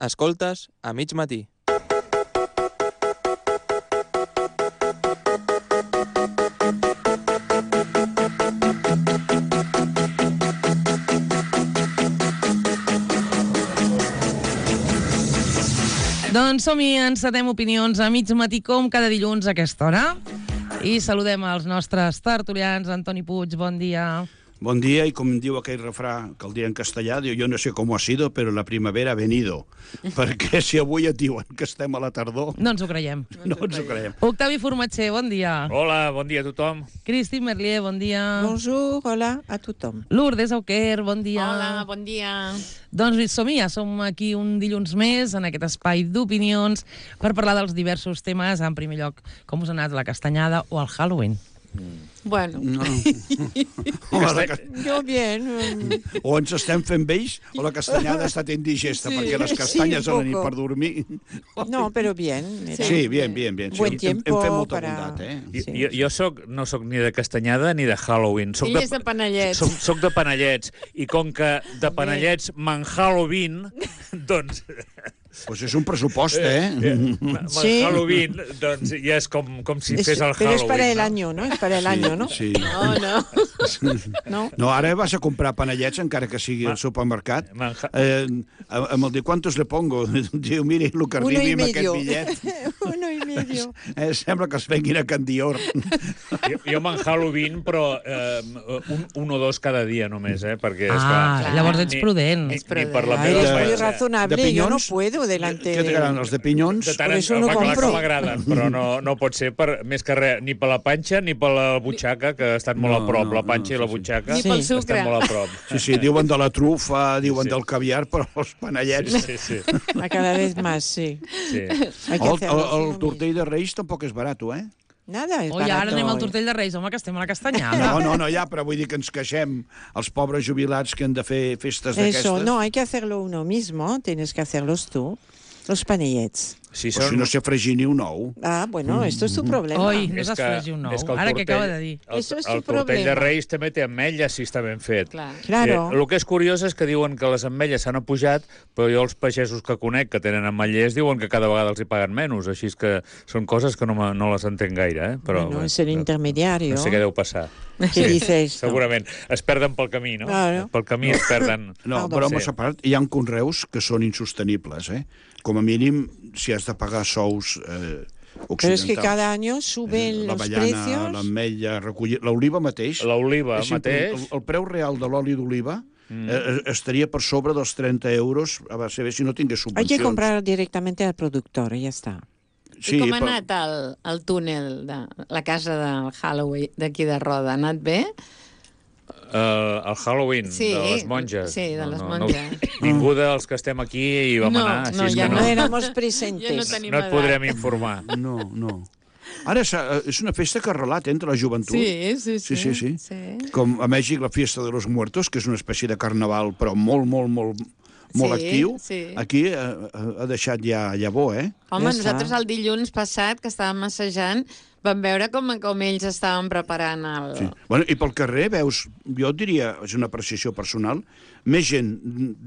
Escoltes a mig matí. Doncs som-hi, encetem opinions a mig matí com cada dilluns a aquesta hora. I saludem els nostres tertulians. Antoni Puig, bon dia. Bon dia, i com diu aquell refrà que el diré en castellà, diu, jo no sé com ha sido, però la primavera ha venido. Perquè si avui et diuen que estem a la tardor... No ens ho creiem. No ens ho creiem. Octavi Formatger, bon dia. Hola, bon dia a tothom. Christine Merlier, bon dia. Bonjour, hola a tothom. Lourdes Auquer, bon dia. Hola, bon dia. Doncs som-hi, ja som aquí un dilluns més en aquest espai d'opinions per parlar dels diversos temes. En primer lloc, com us ha anat la castanyada o el Halloween? Bueno. No. Jo bien. O ens estem fent vells o la castanyada ha estat indigesta, perquè les castanyes a la nit per dormir... No, però bien. Sí, bien. Buen tiempo hem fet molta para... bondat, eh? Sí. Jo no soc ni de castanyada ni de Halloween. Ell és de panellets. Soc de panellets. I com que de panellets m'en Halloween, doncs... Pues és un pressupost, eh? Sí. Halloween, doncs ja és com si fes el Halloween. Pero es para el año, ¿no? Es para el año, ¿no? Sí. No. No, ara vas a comprar panellets, encara que sigui al supermercat. Amb el de ¿cuántos le pongo? Diu, miri, el que arribi amb aquest bitllet. 1,5. Sembla que es venguin a Can Dior. Jo me'n Halloween, però un o dos cada dia només, perquè... Llavors ets prudent. Ni per la Eres meva muy panxa. razonable, yo no puedo delante Què t'agraden, els de pinyons? De tant Por eso no clar compro. que m'agraden, però no pot ser més que res, ni per la panxa ni per la butxaca, que estan molt a prop, la panxa i la butxaca. Ni pel sucre. Estan molt a prop. Sí, diuen de la trufa, diuen del caviar, però els panellets... Sí. A cada vez más, sí. Hay que hacerlo. El tortell de Reis tampoc és barat, eh? Nada, es Oi, ara barato. anem al tortell de Reis, home, que estem a la castanyada. No, ja, però vull dir que ens queixem els pobres jubilats que han de fer festes d'aquestes. Eso, no, hay que hacerlo uno mismo, tienes que hacerlos tú. Los panellets. Si Però si no sé fregir ni un ou. Ah, bueno, esto es tu problema. Oi, no saps fregir un nou. Ara que acaba de dir. Eso es tu El tortell de problema. Reis també té ametlles, si està ben fet. Clar. Claro. El que és curiós és que diuen que les ametlles s'han apujat, però jo els pagesos que conec que tenen ametllers diuen que cada vegada els hi paguen menys. Així és que són coses que no les entenc gaire. Però, Bueno, es el intermediario. No sé què deu passar. ¿Qué dices? Segurament. Es perden pel camí, no? Claro. Pel camí es perden. No, Perdó. però home separat, hi ha conreus que són insostenibles, eh? Com a mínim, si has de pagar sous occidentals. Pero es que cada año suben los precios. L'ametlla, l'oliva mateix. L'oliva sempre mateix. El preu real de l'oli d'oliva estaria per sobre dels 30 euros, a saber si no tingués Hay subvencions. que comprar directamente al productor y ya está. I com ha anat el túnel de la casa del Halloween d'aquí de Roda? Ha anat bé? El Halloween de les monges. Sí, de les monges. Ningú dels que estem aquí hi vam anar, així és ja que No no éramos presentes. tenim et podrem informar. No. Ara és una festa que relata entre la joventut. Sí. Com a Mèxic la Fiesta de los Muertos, que és una espècie de carnaval, però molt actiu. Sí. Aquí ha deixat ja bo, eh? Home, Ja nosaltres està. el dilluns passat, que estàvem assajant, vam veure com ells estaven preparant el... Sí. Bueno, i pel carrer veus, jo et diria, és una apreciació personal, més gent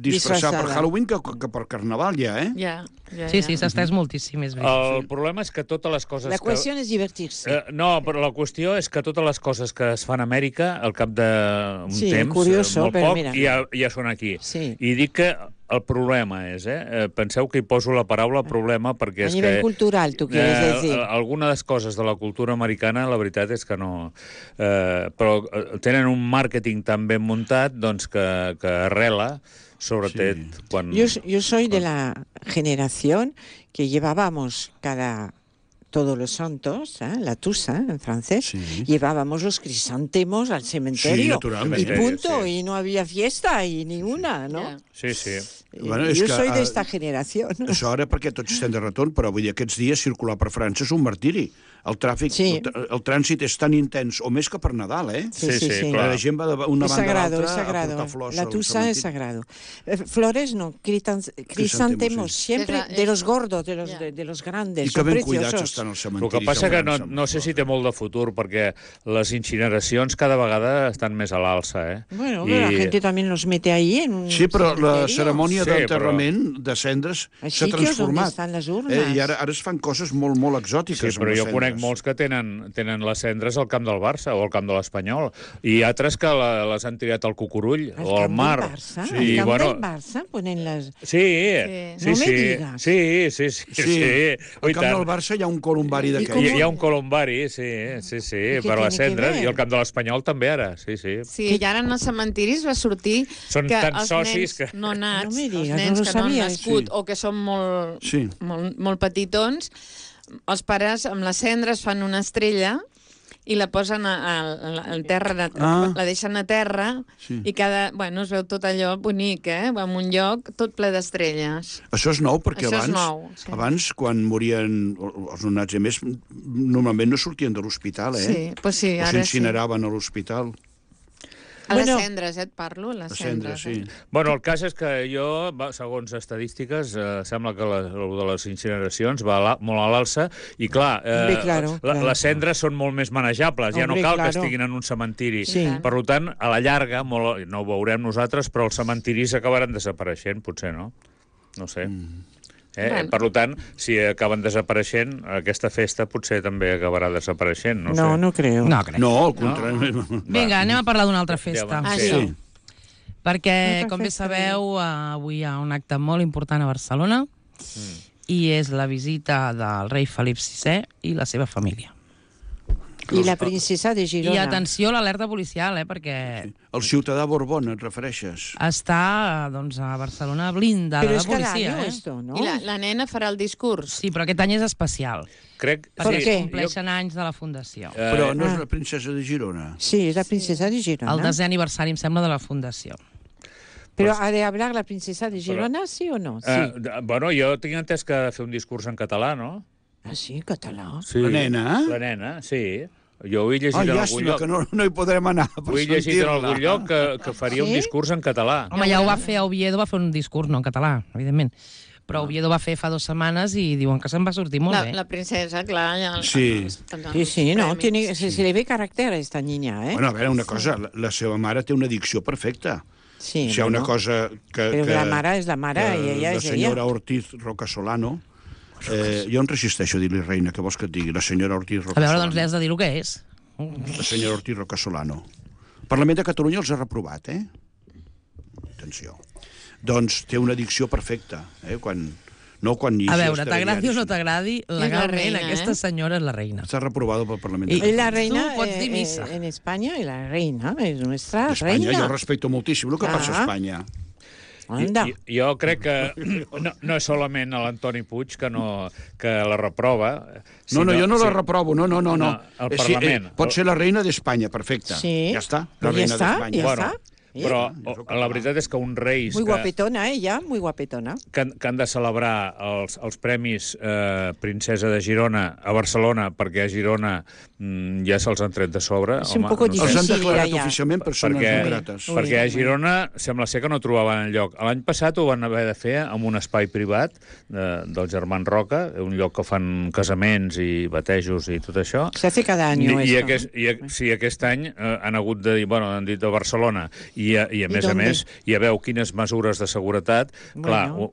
disfressada per Halloween que per Carnaval ja, eh? Ja. Sí, s'ha estès moltíssim, és veritat. El problema és que totes les coses La cuestión es divertirse. no, però la qüestió és que totes les coses que es fan a Amèrica, al cap d'un Sí, temps, curioso, molt però poc, mira. ja són aquí. Sí. I dic que el problema és, penseu que hi poso la paraula problema perquè A és nivel que... cultural, tu quieres decir. Algunes coses de la cultura americana, la veritat és que no... però tenen un màrqueting tan ben muntat doncs, que arrela, sobretot quan... Yo soy de la generación que llevábamos todos los santos, la tusa en francés, llevábamos los crisantemos al cementerio. Sí, naturalmente. Y punto, Sí. y no había fiesta y ninguna, ¿no? Ja. Sí. Bueno, és Yo que, soy de esta generación. Això ara perquè tots estem de retorn, però vull dir, aquests dies circular per França és un martiri. El tràfic, Sí. el trànsit és tan intens, o més que per Nadal, eh? Sí, La gent va d'una Es banda a sagrado, es l'altra a sagrado. portar flors La al tusa es cementiri. sagrado. Flores no, crisantemos, sí. siempre Es de los gordos, de los, Ya. de los grandes, I que son ben cuidats preciosos. estan els El cementiris. que passa que a França. no sé si té molt de futur, perquè les incineracions cada vegada estan més a l'alça, eh? Bueno, pero la gente también los mete ahí en un Sí, però la cementerio. cerimònia cerimònia d'enterrament de cendres Així s'ha que és on transformat. estan les urnes. I ara es fan coses molt, molt exòtiques. Sí, però jo conec molts que tenen les cendres al camp del Barça o al camp de l'Espanyol, i altres que les han tirat al Cucurull o al mar. Al Barça? Sí, Al camp bueno, del Barça ponen les... sí, No me digues. sí. Al camp del Barça hi ha un columbari d'aquells. Hi ha un columbari, sí, què per les tiene que cendres, ver? i al camp de l'Espanyol també ara, sí. Sí, i ara en els cementiris va sortir Són que tants els socis nens que... no nats, No me els digues, nens no lo que no han sabia, nascut sí. o que són molt, Sí. molt petitons, els pares amb les cendres fan una estrella i la posen al terra, la deixen a terra i es veu tot allò bonic, en un lloc tot ple d'estrelles. Això és nou, perquè Això és nou, sí. abans, quan morien els nonats, a més, normalment no sortien de l'hospital, Sí, pues sí, o ara s'incineraven a l'hospital. A les Bueno, cendres, et parlo, les cendres. Sí. Bueno, el cas és que jo, segons estadístiques, sembla que el de les incineracions va molt a l'alça, i clar, Hombre, claro. les cendres són molt més manejables, ja no Hombre, cal que claro. estiguin en un cementiri. Sí. Per tant, a la llarga, no ho veurem nosaltres, però els cementiris acabaran desapareixent, potser, no? No sé. Bueno. Per tant, si acaben desapareixent, aquesta festa potser també acabarà desapareixent, no sé. No creo. No, crec. No, al contrari. Vinga, anem a parlar d'una altra festa. Ja, Això. Sí. Perquè, Altra com bé festa, sabeu, avui hi ha un acte molt important a Barcelona i és la visita del rei Felip VI i la seva família. I la princesa de I Girona. atenció a l'alerta policial, perquè El ciutadà Borbón, et refereixes? està a Barcelona blindada Però de és cada policia. año esto, ¿no? I la nena farà el discurs. Sí, però aquest any és especial, Crec... Per perquè què? es compleixen anys de la Fundació. Però no és la princesa de Girona. Sí, es la princesa de Girona. El 10è aniversari, em sembla, de la Fundació. Pero ¿ha de hablar la princesa de Girona, sí o no? Sí. Bueno, jo tinc entès que ha de fer un discurs en català, no? Ah, sí, en català. Sí. La nena? La nena, sí. Jo ho he llegit en algun llàstima, lloc. que no hi podrem anar per Ho he llegit en algun lloc que faria un Sí? discurs en català. Home, ja ho va fer a Oviedo, va fer un discurs, no en català, evidentment. Però Oviedo va fer fa 2 setmanes i diuen que se'n va sortir molt bé. La princesa, clar, ja... Sí. Sí, no, se le ve carácter a esta niña, ¿eh? Bueno, a veure, una cosa, la seva mare té una dicció perfecta. Sí, Si hi ha una bueno. cosa que... Però la mare és la mare i ella la és ella. senyora Ortiz Rocasolano, jo em resisteixo a dir-li reina, que vols que et digui? La senyora Ortiz A veure, doncs li Rocasolano. has de dir el que és. La senyora Ortiz Rocasolano. El Parlament de Catalunya els ha reprovat, Atenció. Doncs té una dicció perfecta, quan A veure, t'agradi o no t'agradi, legalment reina, aquesta senyora és la reina. Està reprovada pel Parlament I- de Es la Catalunya. reina Tú puedes decir misa. en España y la reina es nuestra D'Espanya, reina. jo respecto moltíssim el que passa a Espanya. Anda. Jo crec que no és solament a l'Antoni Puig que la reprova. No, jo no la reprovo, no. El Parlament. Pot ser la reina d'Espanya, perfecte. Sí. Ja està, Ja la reina està, d'Espanya. ja Bueno, està. però la veritat és que uns reis Muy guapetona, ella, muy guapetona. que han de celebrar els premis Princesa de Girona a Barcelona, perquè a Girona ja se'ls han tret de sobre. És un poco Els han difícil, declarat ja. oficialment persones no grates. Perquè a Girona sembla ser que no trobaven enlloc. L'any passat ho van haver de fer en un espai privat dels germans Roca, un lloc que fan casaments i batejos i tot això. Se hace cada año esto. Sí, aquest any han hagut de dir, han dit a Barcelona, i a més a dónde? més ja veu quines mesures de seguretat. Clar, Bueno,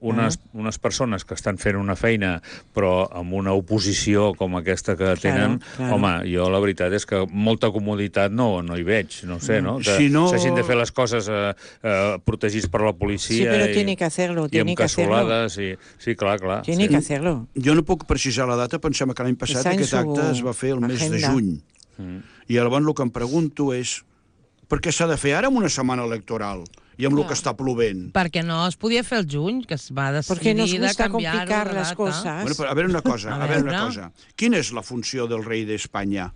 unes persones que estan fent una feina però amb una oposició com aquesta que tenen, claro. home, jo la veritat és que molta comoditat no hi veig, no sé, no? Que Si no- s'hagin de fer les coses protegits per la policia. Sí, però tiene que hacerlo, i tiene amb que hacerlo. cassolades. Sí, clar. Tiene sí. que hacerlo. Jo no puc precisar la data, pensem que l'any passat Està en aquest su acte es va fer el mes de agenda. juny. I llavors el que em pregunto és per què s'ha de fer ara amb una setmana electoral i amb el que està plovent? Perquè no es podia fer el juny, que es va Porque decidir nos de gusta canviar-ho complicar de las data. cosas. Bueno, però a veure una cosa, A a veure una veure. cosa. Quina és la funció del rei d'Espanya?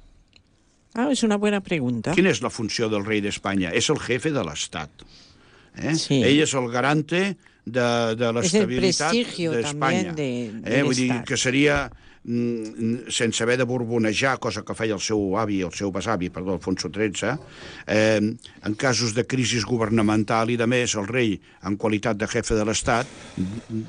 Ah, es una buena pregunta. Quina és la funció del rei d'Espanya? És el jefe de l'Estat. Sí. Ell és el garante de l'estabilitat prestigio d'Espanya. también de Vull dir l'Estat. que seria sense haver de borbonejar, cosa que feia el seu avi, el seu besavi, perdó, Alfonso XIII, en casos de crisi governamental i de més, el rei, en qualitat de jefe de l'Estat,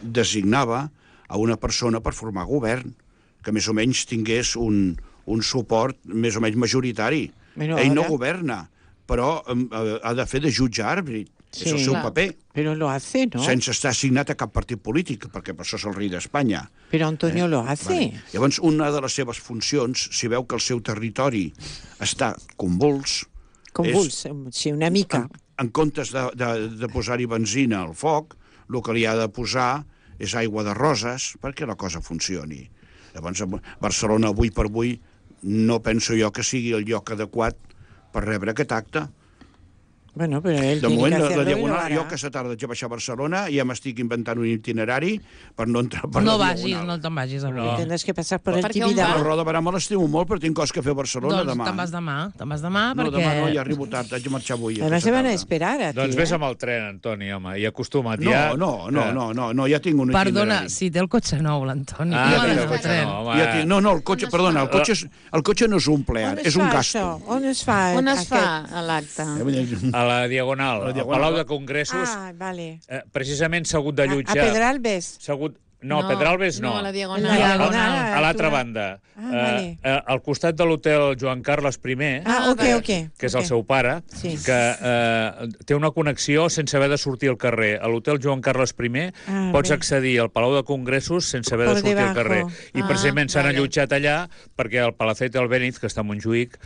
designava a una persona per formar govern, que més o menys tingués un suport més o menys majoritari. Bueno, Ell no ara- governa, però ha de fer de jutge àrbit. és el seu paper. Pero lo hace, ¿no? Sense estar assignat a cap partit polític, perquè per això és el rei d'Espanya. Pero Antonio lo hace. Vale. Llavors, una de les seves funcions, si veu que el seu territori està convuls... Convuls, sí, una mica. En comptes de posar-hi benzina al foc, el que li ha de posar és aigua de roses perquè la cosa funcioni. Llavors, Barcelona, avui per avui, no penso jo que sigui el lloc adequat per rebre aquest acte. Bueno, pero él De tiene moment, que la hacerlo y lo Diagonal, hará. jo aquesta tarda vaig a baixar a Barcelona i ja m'estic inventant un itinerari per no entrar per No la vagis, Diagonal. no te'n vagis avui. No. Tendrás que pasar por Per el què on La va? Tibidabo. Roda de Barà me l'estimo molt, però tinc coses que fer a Barcelona Doncs demà. te'n vas demà No, perquè... demà no, ja arribo tard, haig de marxar avui. Además aquesta se van a tarda. esperar a ti. Doncs vés amb el tren, Antoni, home, i acostuma't No, ja. no, ja tinc un Perdona, itinerari. si té el cotxe nou, l'Antoni. Ah, no té ha el d'anar cotxe al tren. nou, home. Ja tinc, no, el cotxe, perdona, el cotxe no és un plear, és un gasto. On es fa? On es fa l'acte? A la Diagonal, al Palau de Congressos, Vale. precisament s'ha hagut d'allotjar... A Pedralbes. No, Pedralbes no. No, a la En Diagonal. la Diagonal. A l'altra banda. vale. Al costat de l'hotel Joan Carles I, Ok. que és el seu pare, Sí. que té una connexió sense haver de sortir al carrer. A l'hotel Joan Carles I pots bé. accedir al Palau de Congressos sense haver de Por sortir al debajo. carrer. I precisament s'han vale. allotjat allà perquè el Palacete Albéniz, que està a Montjuïc,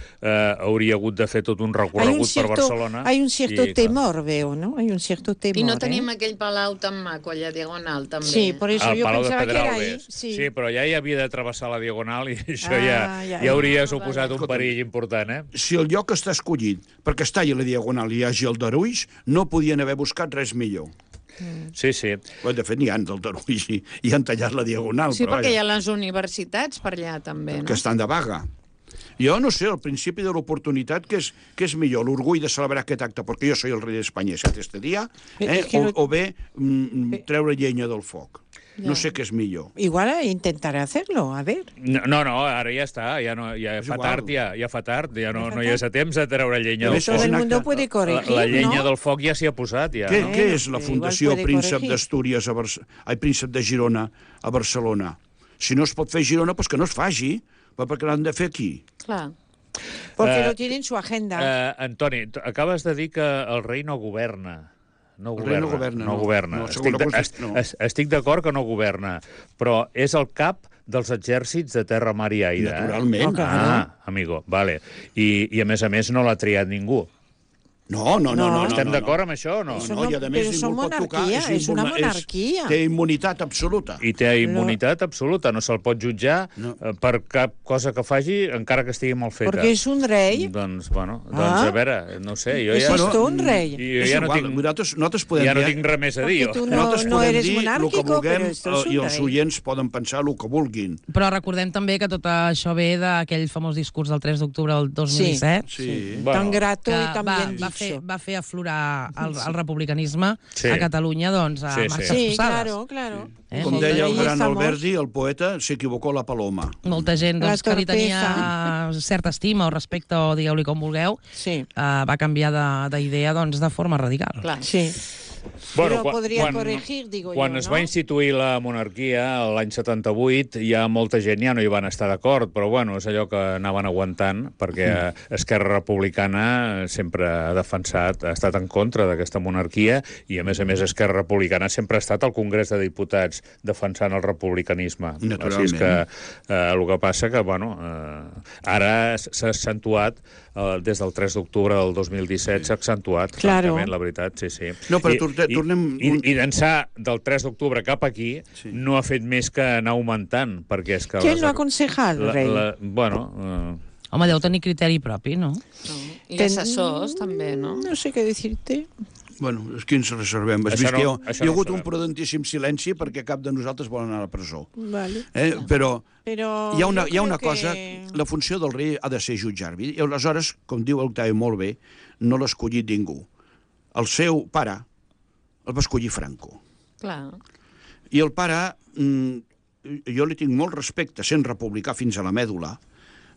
hauria hagut de fer tot un Hay un recorregut per cierto, Barcelona. hay un cierto I, clar, temor, veo, ¿no? Hay un cierto temor. I no tenim aquell palau tan maco allà Diagonal, també. Sí, por eso al yo Palau de pensaba que era Pedralbes. ahí. Sí, però ja hi havia de travessar la Diagonal i això Ah, ja ja. hauria suposat un perill important, eh? Si el lloc està escollit perquè està a la Diagonal i hi hagi el d'Arulls, no podien haver buscat res millor. Sí, sí. Bé, de fet, n'hi ha del d'Arulls i han tallat la Diagonal, Sí, però perquè hi vaja, ha les universitats per allà, també, no? que estan de vaga. Jo no sé, al principi de l'oportunitat, què és millor? L'orgull de celebrar aquest acte, perquè jo soy el rei d'Espanya este dia, És que o bé treure llenya del foc. No sé què és millor. Igual intentaré hacerlo, a ver. No, ara ja està, ja És fa igual. tard, ja fa tard, ja no hi ha temps de treure llenya del Més foc. Todo el un mundo acte. puede corregir, La llenya ¿no? del foc ja s'hi ha posat, ja. Què, No? què és la igual Fundació puede Príncep corregir. d'Astúries Príncep de Girona a Barcelona? Si no es pot fer a Girona, doncs que no es faci, perquè l'han de fer aquí. Clar. Porque lo tiene en su agenda. Antoni, acabes de dir que el rei no governa. No El rei governa. no governa, no. No. Estic d'acord que no governa, però és el cap dels exèrcits de terra, mar i aire. Naturalment. Amigo, vale. I a més no l'ha triat ningú. No. Estem d'acord amb això o no? Eso No, i a no, més pero son ningú el pot tocar. monarquía, es una monarquía. Té immunitat absoluta. I té immunitat absoluta, no se'l pot jutjar per cap cosa que faci, encara que estigui mal feta. Porque es un rey. Doncs a veure, no sé, jo Es ja... esto un rey. Jo És ja no igual, tinc... nosaltres podem Ja no dir... tinc res més a dir, Perquè jo. tu Nosaltres no podem eres dir el que monárquico, vulguem però esto es un i els rei. oients poden pensar el que vulguin. Però recordem també que tot això ve d'aquell famós discurs del 3 d'octubre del 2017, Sí. Tan grato que y tan bien dicho. va fer aflorar el republicanisme Sí. a Catalunya doncs, a Sí, sí. marxes Sí, forçades. claro. Com Molta deia el gent- gran estamos- Alberti, el poeta, s'equivocó la paloma. Molta gent doncs, La que li tenia torpeza. certa estima o respecte, o digueu-li com vulgueu, Sí, va canviar d'idea doncs, de forma radical. Clar. sí. Però podria corregir, digo quan jo, es no? va instituir la monarquia l'any 78, ja molta gent ja no hi van estar d'acord, però bueno, és allò que anaven aguantant, perquè Esquerra Republicana sempre ha defensat, ha estat en contra d'aquesta monarquia, i a més Esquerra Republicana sempre ha estat al Congrés de Diputats defensant el republicanisme. Naturalment. Així és que el que passa que, bueno, ara s'ha accentuat, des del 3 d'octubre del 2017, s'ha accentuat, Claro. francament, la veritat, sí. No, però tornem... I d'ençà del 3 d'octubre cap aquí no ha fet més que anar augmentant, perquè és que... ¿Quién lo aconseja al rei? Bueno, Home, deu tenir criteri propi, no? I assessors, també, no? No sé què dir-te. Bueno, és que ens reservem. Has Això vist que no- hi això ha no ho hagut un sabem. prudentíssim silenci perquè cap de nosaltres vol anar a la presó. Vale. Però Pero hi ha una yo creo cosa, que- la funció del rei ha de ser jutjar-vi, i aleshores, com diu Octavi molt bé, no l'ha escollit ningú. El seu pare el va escollir Franco. Clar. I el pare, jo li tinc molt respecte, sent republicà fins a la mèdula,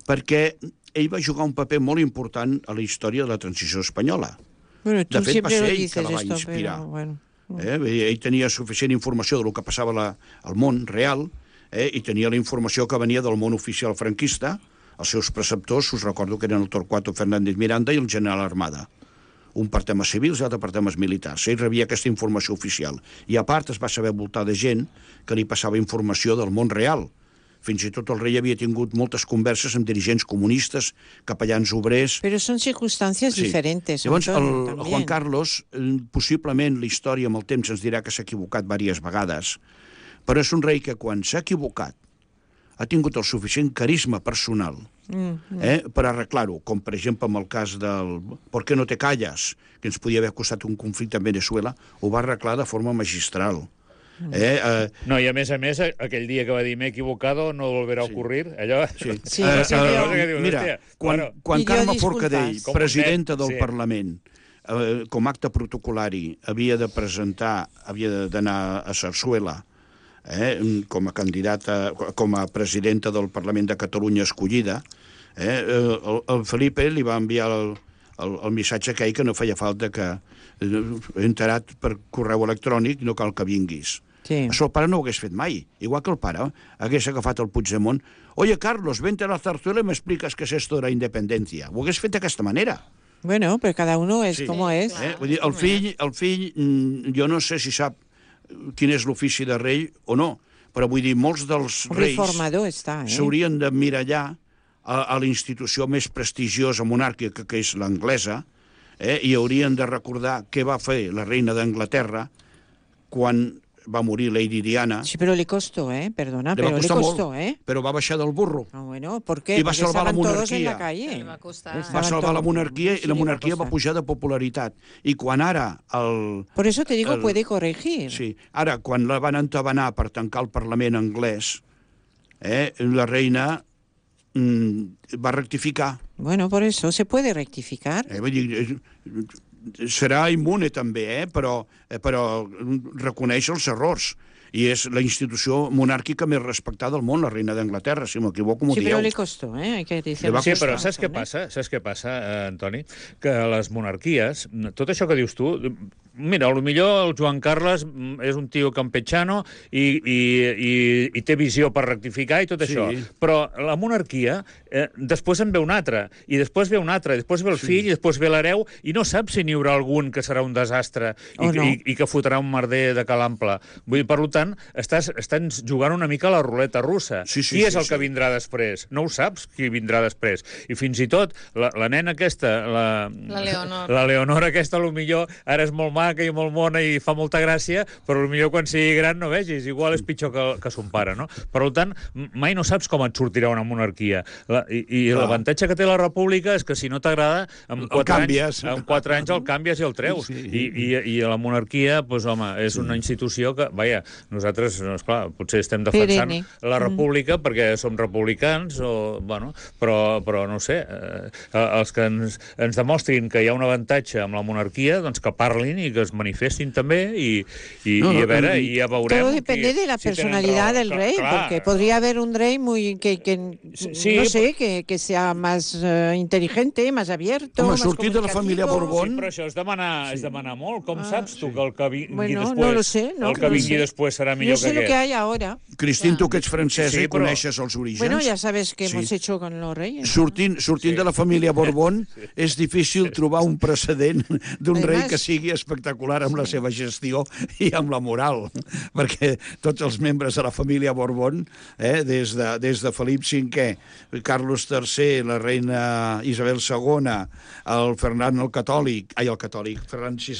perquè ell va jugar un paper molt important a la història de la transició espanyola. Bueno, tú De fet, va siempre ser lo ell que dices la va esto, inspirar. pero bueno. Ell tenia suficient informació del que passava al món real, i tenia la informació que venia del món oficial franquista. Els seus preceptors, us recordo que eren el Torquato Fernández Miranda i el general Armada. un per temes civils i l'altre per temes militars. Ell rebia aquesta informació oficial. I a part es va saber voltar de gent que li passava informació del món real. Fins i tot el rei havia tingut moltes converses amb dirigents comunistes, capellans obrers... Pero son circunstancias diferentes. Llavors, Antonio, el también. Juan Carlos, possiblement la història amb el temps ens dirà que s'ha equivocat diverses vegades, però és un rei que quan s'ha equivocat ha tingut el suficient carisma personal per arreglar-ho, com per exemple amb el cas del ¿Por qué no te callas?, que ens podia haver costat un conflicte en Venezuela, ho va arreglar de forma magistral. No, i a més, aquell dia que va dir m'he equivocado, no volverà a ocurrir, allò... Sí, Mira, quan Carme Forcadell, presidenta del Parlament, com a acte protocolari, havia d'anar a Sarsuela, com a candidata, com a presidenta del Parlament de Catalunya escollida, el Felipe li va enviar el missatge aquell que no feia falta que he enterat per correu electrònic, no cal que vinguis. Sí. Això el pare no ho hagués fet mai. Igual que el pare hagués agafat el Puigdemont. Oye, Carlos, vente a la zarzuela y me explicas qué es esto de la independencia. Ho hagués fet d'aquesta manera. Bueno, pero cada uno es como es. Vull dir, el fill, jo no sé si sap quin és l'ofici de rei o no, però vull dir, molts dels reis Reformador està, s'haurien d'emmirallar a la institució més prestigiosa monàrquica, que és l'anglesa, i haurien de recordar què va fer la reina d'Anglaterra quan va morir Lady Diana. Sí, pero le costó, perdona, Le va pero le costar costó, molt, però va baixar del burro. Ah, bueno, ¿por qué? I va Porque salvar la estaban todos en monarquia. la calle. Va costar. Va salvar la monarquia i la monarquia va pujar de popularitat. I quan ara Por eso te digo, puede corregir. Sí, ara, quan la van entabanar per tancar el Parlament anglès, la reina va rectificar. Bueno, por eso se puede rectificar. Vull dir, serà immune també, però reconeix els errors. I és la institució monàrquica més respectada del món, la reina d'Anglaterra, si m'equivoco, m'ho Sí, dieu. pero le costó, hay que decir. Sí, però saps què passa? Saps què passa, Antoni? Que les monarquies, tot això que dius tu, mira, potser el Joan Carles és un tio campechano i té visió per rectificar i tot això. Però la monarquia, després en ve un altre, i després ve un altre, i després ve el fill, i després ve l'hereu, i no saps si n'hi haurà algun que serà un desastre i que fotrà un merder de calample. Vull dir, per tant, estàs jugant una mica a la ruleta russa. Qui és el que vindrà després? No ho saps, qui vindrà després. I fins i tot, la nena aquesta, la Leonor. La Leonor aquesta, potser ara és molt maca i molt mona i fa molta gràcia, però potser quan sigui gran no vegis, igual és pitjor que son pare, no? Per tant, mai no saps com et sortirà una monarquia. I l'avantatge que té la república és que si no t'agrada, en 4 anys el canvies i el treus. I la monarquia, doncs, home, és una institució que, vaja, nosaltres, esclar, potser estem defensant la república perquè som republicans, però no sé, els que ens demostrin que hi ha un avantatge amb la monarquia, doncs que parlin i que es manifestin també i a veure, i ja veurem... Todo depende de la personalidad del rey, porque podría haber un rey no sé, que sea más inteligente, más abierto, home, más sortir de la família Borbón... Sí, però això és demanar molt. Com saps tu que el que vingui després... No lo sé, el que vingui després serà millor que aquest? Yo sé lo que hay ahora. Cristín, tu que ets francesa i coneixes els orígens... Bueno, ya sabes qué hemos hecho con los reyes. Sortint de la família Borbón, és difícil trobar un precedent d'un rei que sigui espectacular amb la seva gestió i amb la moral, perquè tots els membres de la família Borbón, des de Felip V, Carlos III, la reina Isabel II, el Ferran Ferran VI,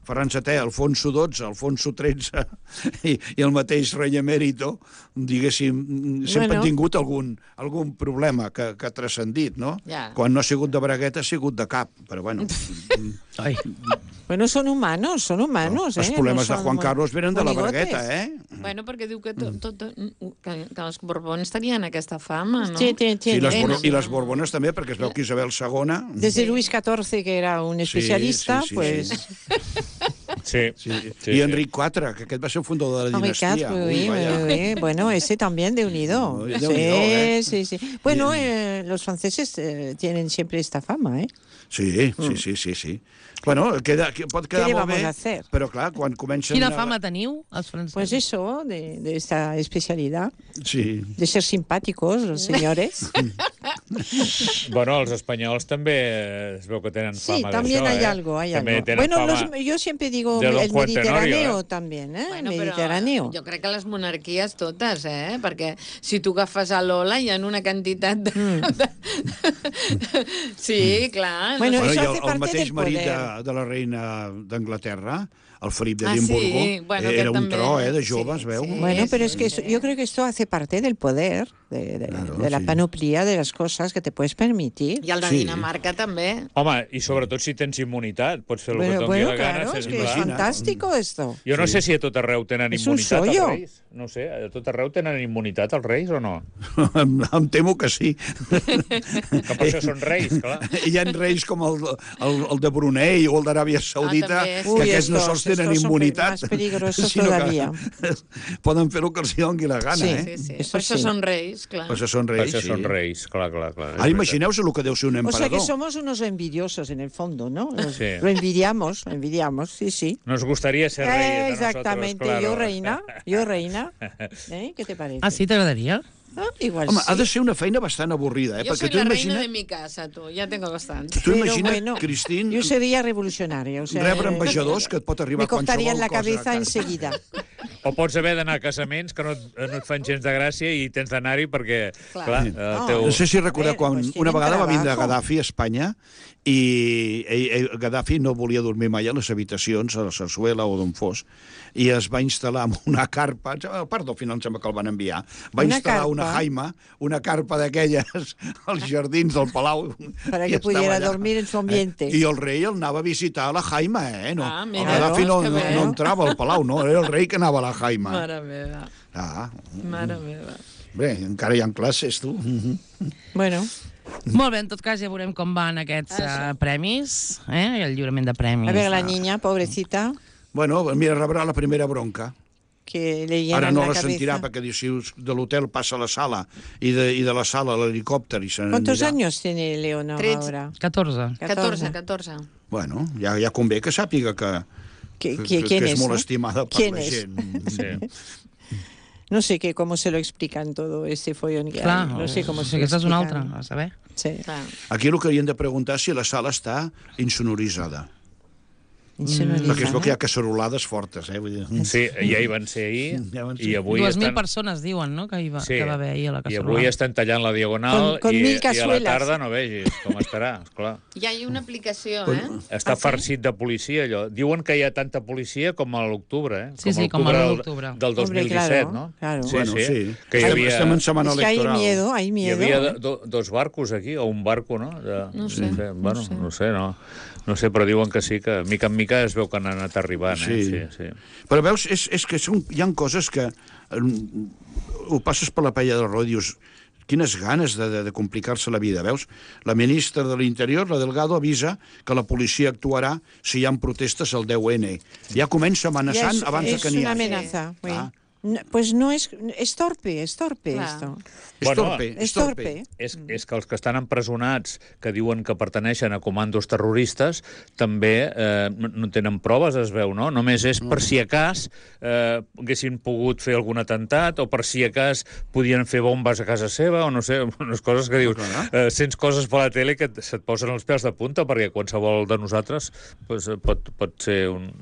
Ferran VII, Alfonso XII, Alfonso XIII i el mateix rei emèrito, diguéssim, sempre han tingut algun problema que ha transcendit, no? Quan no ha sigut de bragueta, ha sigut de cap, però bueno... Bueno, son humanos, Els problemes de Juan Carlos venen de la bragueta, Bueno, perquè diu que els Borbons tenien aquesta fama, no? Sí, i les Borbones també, perquè es veu que Isabel II... Desde Luis XIV, que era un especialista, pues... Sí. I Enric IV, que aquest va ser el fundador de la Henri dinastia. IV, oui. Bueno, ese también de unido. Sí. Bueno, los franceses tienen siempre esta fama, ¿eh? Sí. Bueno, pot quedar ¿Qué le molt bé, vamos a hacer? però clar, quan comencen... Quina fama teniu, els francesos? Pues eso, de esta especialidad, Sí. de ser simpáticos, los señores. Bueno, els espanyols també es veu que tenen Sí, fama también d'això, hay algo, hay També algo. tenen Bueno, fama yo siempre digo de Don el Juan Mediterráneo Tenorio, también, ¿eh? Bueno, El però Mediterráneo. jo crec que les monarquies totes, perquè si tu agafes a Lola hi ha una quantitat de... Sí, clar. Bueno, Bueno, eso i hace el parte mateix del marit poder. de la reina d'Anglaterra, el Felip Ah, d'Edimburgo, sí. Bueno, era aquest un també. tro, de jove, es veu. Sí. Bueno, pero es que yo creo que esto hace parte del poder, Claro, de la sí. panoplia de las cosas que te puedes permitir. I el de Sí. Dinamarca també. Home, i sobretot si tens immunitat, pots fer el que et doni Bueno, la gana. claro, es que es Imagina't. fantástico esto. Jo no sé si a tot arreu tenen És un immunitat els sollo. reis. No sé, a tot arreu tenen immunitat els reis o no? Em temo que sí. Que per això són reis, clar. Hi ha reis com el de Brunei o el d'Aràbia Saudita, també, sí. que Uy, aquests no estos- sols tenen estos son immunitat, más peligrosos sinó todavía. que poden fer el que els doni la gana, Sí. eh? Sí. Eso Per això sí. són reis, clar. Per això són Per reis, això sí. són reis, clar. Ara imagineu-vos el que deu ser un O emperador. sea que somos unos envidiosos en el fondo, ¿no? Sí. Lo envidiamos, sí, sí. Nos gustaría ser reyes de Exactamente, nosotros, claro. yo reina. ¿Qué te parece? Ah, sí, t'agradaria? Ah, igual Home, sí. ha de ser una feina bastant avorrida, Jo perquè soy tu la reina de imagina't, mi casa, tu. Ja tengo bastante. tu Pero imagina't, bueno, Cristín, yo sería revolucionaria. O sea, rebre ambaixadors que et pot arribar me cortarían la qualsevol cosa cabeza a casa. enseguida. O pots haver d'anar a casaments que no et fan gens de gràcia i tens d'anar-hi perquè, clar, el No, teu... No sé si recordeu A ver, quan pues una tienen vegada va vindre trabajo. Gaddafi a Espanya i Gaddafi no volia dormir mai a les habitacions, a la Sarsuela o d'on fos, i es va instal·lar amb una carpa, a part del final em sembla que el van enviar, va Una instal·lar carpa. una jaima, una carpa d'aquelles als jardins del Palau. Para i que estava pudiera allà. dormir en su ambiente. I el rei el anava a visitar a la jaima, No, Ah, el mira, Gaddafi no, que no, bé. no entrava al Palau, no, era el rei que anava a la jaima. Mare meva, Ah, mare meva. bé, encara hi ha classes, tu. Bueno, Molt bé, en tot cas ja veurem com van aquests premis, el lliurament de premis. a ver, la niña, pobrecita, Bueno, mira, rebrà la primera bronca. que le llenan Ara no la la sentirà cabeza. perquè diu, si de l'hotel passa a la sala i de la sala a l'helicòpter i se ¿Cuántos n'anirà. años tiene Leonor 13. ahora? 14. 14. Bueno, ja convé que sàpiga que ¿Quién és es? molt ¿no? estimada per ¿Quién la es? gent. Sí. No sé cómo se lo explican todo este follón que Clar, hay. No sé cómo se lo aquesta és una explican. altra, a saber. Sí. Clar. Aquí el que haurien de preguntar és si la sala està insonoritzada. Insonorizada. Perquè es veu que hi ha cacerolades fortes, Vull dir. Sí, ja hi van ser ahir Ja van ser. i avui 2.000 estan... persones diuen, no?, que va haver ahir a la I casserolada. avui estan tallant la diagonal Con i 1000 a la cazuelas. tarda no vegis com estarà, esclar. Ja hi ha una aplicació, Està farcit de policia, allò. Diuen que hi ha tanta policia com a l'octubre, Sí, com a l'octubre. del 2017, claro, no? claro. Sí, Bueno, sí. Que hi havia... Estem en setmana Es que hay electoral. miedo, hay Hi miedo. havia dos barcos aquí, o un barco, no? No sé, Bueno, no sé, no sé, però diuen que sí, que mica en mica es veu que han anat arribant, Sí. Sí. Però veus, és que hi ha coses que ho passes per la paella del roda i dius quines ganes de complicar-se la vida, veus? La ministra de l'Interior, la Delgado, avisa que la policia actuarà si hi ha protestes al 10N. Ja comença amenaçant Ya abans de que es n'hi una hagi. amenaza. oui. Ah. No, pues no es torpe Clar. esto. És Bueno, torpe, Es torpe. És que els que estan empresonats, que diuen que pertaneixen a comandos terroristes, també no tenen proves, es veu, no? Només és per si a cas haguessin pogut fer algun atemptat o per si a cas podien fer bombes a casa seva o no sé, unes coses que dius... sents coses per la tele que se't posen els pèls de punta perquè qualsevol de nosaltres pues, pot ser un...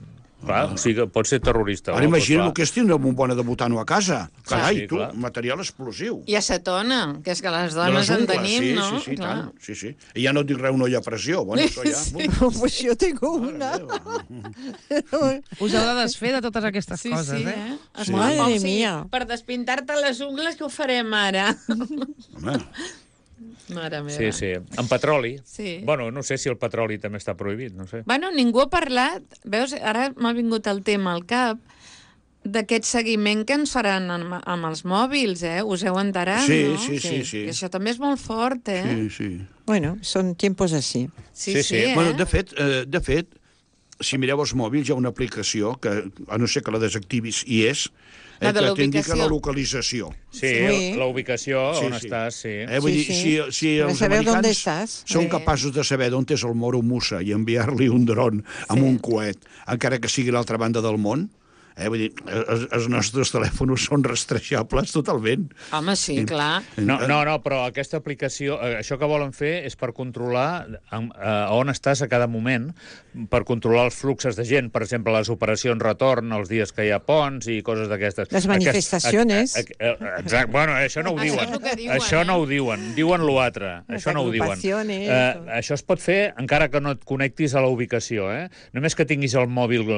Clar, o sigui, pot ser terrorista. Ara imagina el que és tindre un bon de butano a casa. Carai, sí, tu, clar. material explosiu. I acetona, que és que les De dones les en ungles, tenim, sí, no? Sí, Clar. tant. Sí. I ja no et dic res, no hi ha pressió. Bueno, això ja... Pues yo tengo una. Us heu de desfer de totes aquestes Sí, coses, sí, eh? Sí. Madre mía. Per despintar-te les ungles, què ho farem ara? Home, Mare meva. Sí. En petroli. Sí. Bueno, no sé si el petroli també està prohibit, no sé. Bueno, ningú ha parlat, veus, ara m'ha vingut el tema al cap, d'aquest seguiment que ens faran amb els mòbils, Us heu enterat, Sí, no? sí. Que això també és molt fort, sí. Bueno, son tiempos así. Sí. Sí. Bueno, de fet, si mireu els mòbils, hi ha una aplicació que, a no ser que la desactivis, hi és, La de que t'indica l'ubicació. la localització. Sí, Sí. la ubicació, Sí, on sí. estàs, sí. Vull dir, si Para els saber dónde americans estás. són Sí. capaços de saber d'on és el Moro Musa i enviar-li un dron amb un coet, encara que sigui a l'altra banda del món, vull dir, els nostres telèfons són rastrejables totalment. Home, sí, clar. No, però aquesta aplicació, això que volen fer és per controlar on estàs a cada moment, per controlar els fluxos de gent, per exemple, les operacions retorn, els dies que hi ha ponts i coses d'aquestes. Les manifestaciones. Exacte, bueno, això no ho Això diuen. és el que diuen, Això no eh? ho diuen, diuen l'altre. Les Això no ho diuen. agrupaciones. Això es pot fer encara que no et connectis a la ubicació, Només que tinguis el mòbil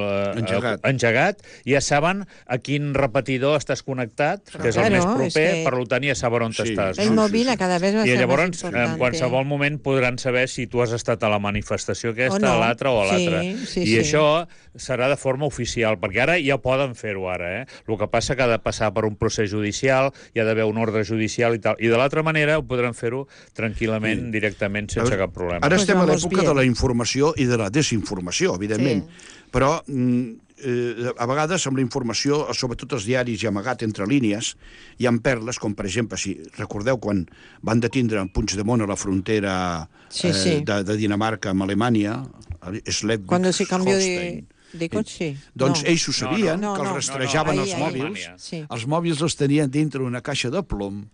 engegat, ja saben a quin repetidor estàs connectat, que és el Claro, més és proper, que- per tant ja saben on Sí. estàs. El no? móvil a cada vez va a I ser llavors, más importante. en qualsevol moment podran saber si tu has estat a la manifestació aquesta, O no. a l'altra o a l'altra. Sí, I sí. això serà de forma oficial, perquè ara ja poden fer-ho ara, El que passa que ha de passar per un procés judicial, hi ha d'haver un ordre judicial i tal. I de l'altra manera ho podran fer-ho tranquil·lament, directament, sense cap problema. Ara Pues estem a vamos l'època bien. de la informació i de la desinformació, evidentment. Sí. Però a vegades amb la informació, sobretot els diaris i amagat entre línies, hi ha perles, com per exemple, si recordeu quan van detindre en Puigdemont a la frontera Sí, sí. de Dinamarca amb Alemanya, Cuando se cambió Schleswig-Holstein. de coche. Doncs No. ells ho sabien, No, que no. els rastrejaven No, els ahí, mòbils. Sí. Els mòbils els tenien dintre una caixa de plom,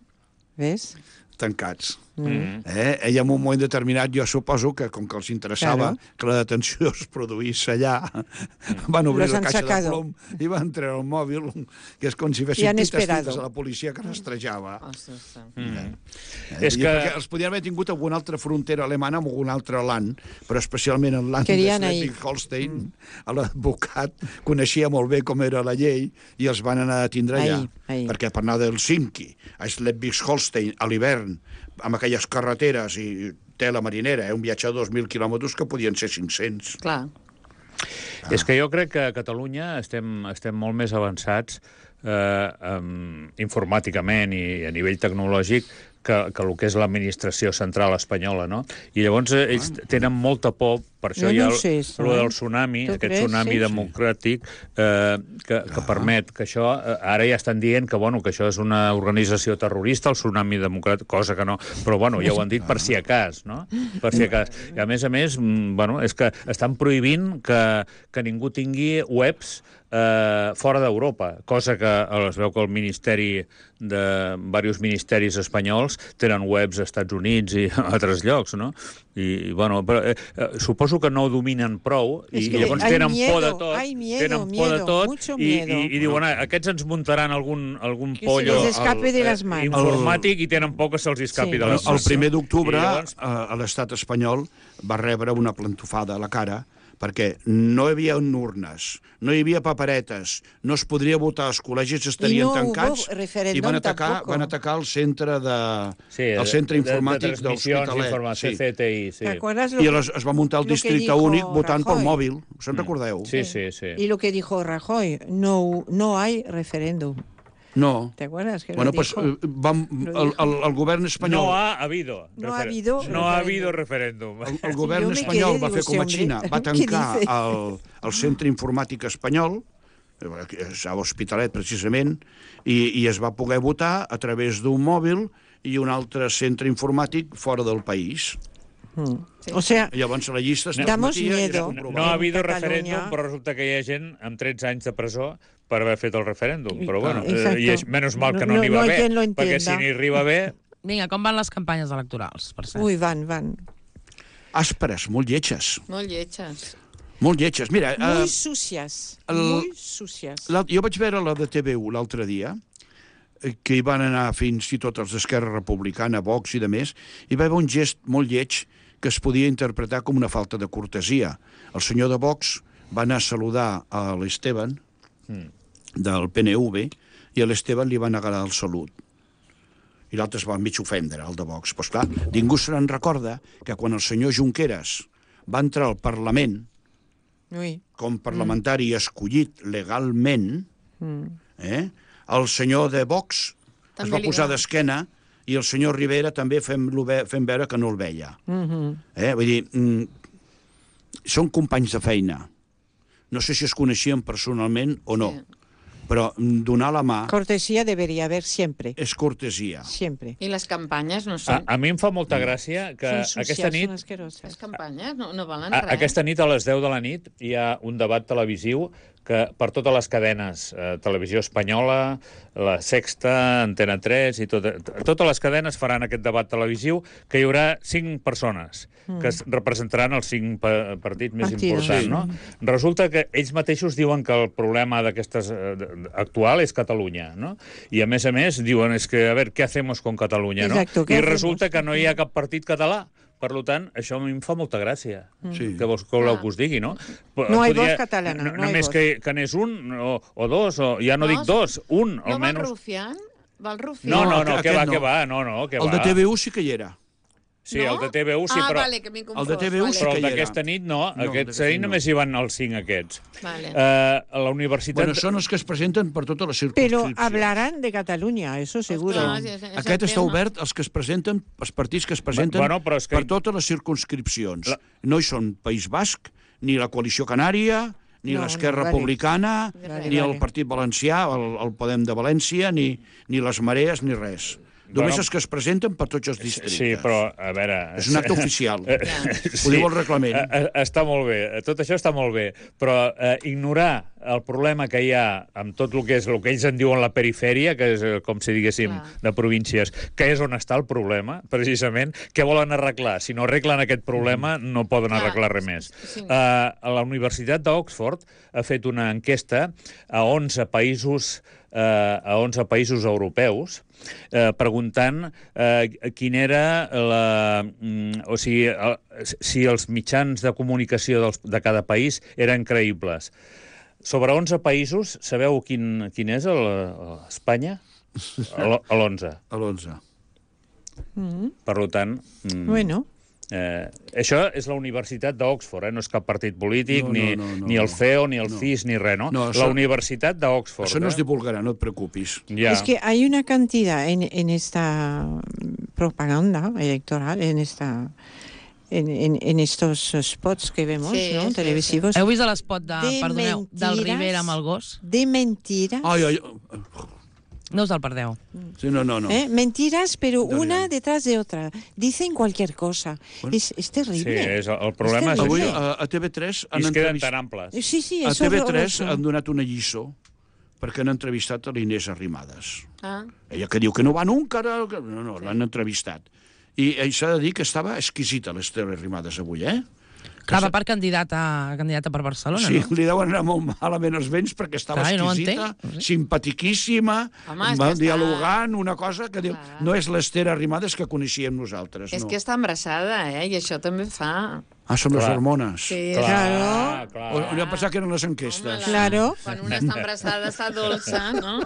¿Ves? tancats. I en un moment determinat jo suposo que com que els interessava Claro. que la detenció es produís allà, van obrir Los la han caixa sacado. de plom i van treure el mòbil, que és com si Y fessin han pites esperado. a la policia que rastrejava. Ostres, És que- Perquè els podien haver tingut alguna altra frontera alemana amb algun altre land, però especialment en land de Querien ahí. Schleswig-Holstein, l'advocat coneixia molt bé com era la llei i els van anar a tindre allà. Ahí. Perquè per anar d'Helsinki a Schleswig-Holstein a l'hivern, amb aquelles carreteres i tela marinera, un viatge de 2.000 quilòmetres que podien ser 500. clar. És que jo crec que a Catalunya estem molt més avançats informàticament i a nivell tecnològic que el que és l'administració central espanyola, no? I llavors ells tenen molta por, per això Jo hi ha no sé això, el del tsunami, Tu aquest creus? tsunami Sí. democràtic que permet que això... Ara ja estan dient que, bueno, que això és una organització terrorista, el tsunami democràtic, cosa que no... Però, bueno, ja ho han dit per si a cas, no? Per si a cas. I, a més, bueno, és que estan prohibint que ningú tingui webs fora d'Europa, cosa que es veu que el ministeri diversos ministeris espanyols tenen webs als Estats Units i a altres llocs, no? I, bueno, però, suposo que no ho dominen prou i Es que llavors hay tenen por de miedo, tot, hay miedo, tenen por de miedo, tot mucho i miedo. i diuen, aquests ens muntaran algun Que pollo se les escape de les manos. informàtic i tenen por que se'ls escapi Sí. de les El mans. 1 d'octubre, I llavors- a l'estat espanyol, va rebre una plantofada a la cara perquè no hi havia urnes, no hi havia paperetes, no es podria votar, els col·legis estarien no tancats hubo referéndum i tampoco. van atacar el centre, el centre de informàtic de transmissions l'Hospitalet. d'informació, Sí. CTI, sí. ¿Te acuerdas lo I que- aleshores es va muntar el lo que districte dijo únic votant pel Rajoy? mòbil. Se'n recordeu? Sí, sí, sí. Y lo que dijo Rajoy, no hay referéndum. No. ¿Te acuerdas? Que Bueno, lo pues dijo? el govern espanyol... No ha habido. No ha habido No ha habido referéndum. referéndum. El govern Yo me espanyol quedé, va digo, fer com a sí, Xina, hombre, va ¿qué tancar dice? el centre informàtic espanyol, a l'Hospitalet precisament, i es va poder votar a través d'un mòbil i un altre centre informàtic fora del país. O sea, Llavors la llista es Damos transmetia i es miedo. comprovava. No ha habido Catalunya. referèndum, però resulta que hi ha gent amb 13 anys de presó per haver fet el referèndum. Però bueno, Exacto. i és menys mal que No- no n'hi va no hay bé, quien lo perquè si entienda. n'hi arriba bé... Vinga, com van les campanyes electorals, per cert? uy, van. Àsperes, molt lletges. Molt lletges. Molt lletges. Mira, Muy sucias, muy sucias. jo vaig veure la de TV1 l'altre dia, que hi van anar fins i tot els d'Esquerra Republicana, Vox i de més, i va haver un gest molt lleig que es podia interpretar com una falta de cortesia. El senyor de Vox va anar a saludar a l'Esteban, del PNV, i a l'Esteban li va negar el salut. I l'altre es va mig ofendre, el de Vox. Pues clar, ningú se n'en recorda que quan el senyor Junqueras va entrar al Parlament Uy. com parlamentari escollit legalment, el senyor de Vox es També va li posar va. d'esquena i el senyor Rivera també fent veure que no el veia. Vull dir, són companys de feina. no sé si es coneixien personalment o no, Sí. però donar la mà Cortesía debería haber siempre. és cortesia. Siempre. I les campanyes no són... A mi em fa molta gràcia que Son aquesta sucias, nit son asquerosas. Les campanyes no valen res. Aquesta nit a les 10 de la nit hi ha un debat televisiu que per totes les cadenes, Televisió Espanyola, La Sexta, Antena 3 i totes les cadenes faran aquest debat televisiu que hi haurà 5 persones que es representaran els 5 partits més importants, no? Resulta que ells mateixos diuen que el problema d'aquestes actual és Catalunya, no? I a més, diuen, és que, a veure, què hacemos con Catalunya, no? Exacto, ¿qué I hacemos? resulta que no hi ha cap partit català. Per tant, això a mi em fa molta gràcia. Sí. Que vols que voleu que us digui, no? No hay voz catalana, no hay Només voz. que n'és un o dos, o ja no dic dos, un, No va el almenys. rufián? Va el rufián? No, aquest que va, no. que va, no, que El va. de TV1 sí que hi era. Sí, el de TV1 sí, però... vale, que m'he confós. El de TV1 sí Però que el hi era. d'aquesta nit no, No, aquests d'aquesta ahir no. només hi van els 5 aquests. Vale. A la universitat... Bueno, són els que es presenten per totes les Pero circunscripcions. hablarán de Cataluña, eso seguro. Clar, és Aquest el està tema. obert als que es presenten, els partits que es presenten Bueno, però és que- per totes les circunscripcions. No hi són País Basc, ni la Coalició Canària, ni No, l'Esquerra no, vale. Republicana, Vale, ni el vale. Partit Valencià, el Podem de València, ni les Marees, ni res. Només els que es presenten per tots els districtes. Sí, però, a veure... És un acte oficial. Sí. Ho diu el reglament. Està molt bé, tot això està molt bé, però ignorar el problema que hi ha amb tot el que és el que ells en diuen la perifèria, que és, com si diguéssim, Clar. de províncies, que és on està el problema, precisament, què volen arreglar? Si no arreglen aquest problema, no poden Clar, arreglar res més. sí. A la Universitat d'Oxford ha fet una enquesta a 11 països europeus, preguntant quin era o sigui, si els mitjans de comunicació de cada país eren creïbles. Sobre 11 països, sabeu quin és Espanya? L'11. A l'11. Per tant... Bueno, això és la Universitat d'Oxford, no és cap partit polític, No, ni el CEO, ni el CIS, ni res, no? No, La Universitat d'Oxford. Això no es divulgarà, no et preocupis. Ja. es que hay una cantidad en esta propaganda electoral, en estos spots que vemos, Sí, ¿no? sí, televisivos, Heu vist l'espot del mentiras, Rivera amb el gos? de mentiras. Ai, No us el perdeu. sí, no. Mentiras, pero Dorian. una detrás de otra. Dicen cualquier cosa. Bueno. Es Sí, terrible. el problema és terrible. Avui això. a TV3 I han es queden entrevistat... tan amples. Sí, A es TV3 horroroso. han donat una lliçó perquè han entrevistat a l'Inés Arrimadas. Ah, Ella que diu que no va nunca... No, l'han entrevistat. I s'ha de dir que estava exquisita l'Ester Arrimadas avui, eh? Clar, va per candidata per Barcelona, Sí, no? li deuen anar molt malament els vents perquè estava Clar, jo no ho exquisita, entenc, no sé. simpatiquíssima, Home, és va que està- dialogant, una cosa que diu... Clar. No és l'Ester Arrimadas que coneixíem nosaltres, és no. que està embarassada, i això també fa... Ah, són les Clar. hormones. Sí, Claro. clar. O no passar que eren les enquestes. Claro. Quan una està embarassada està dolça, no?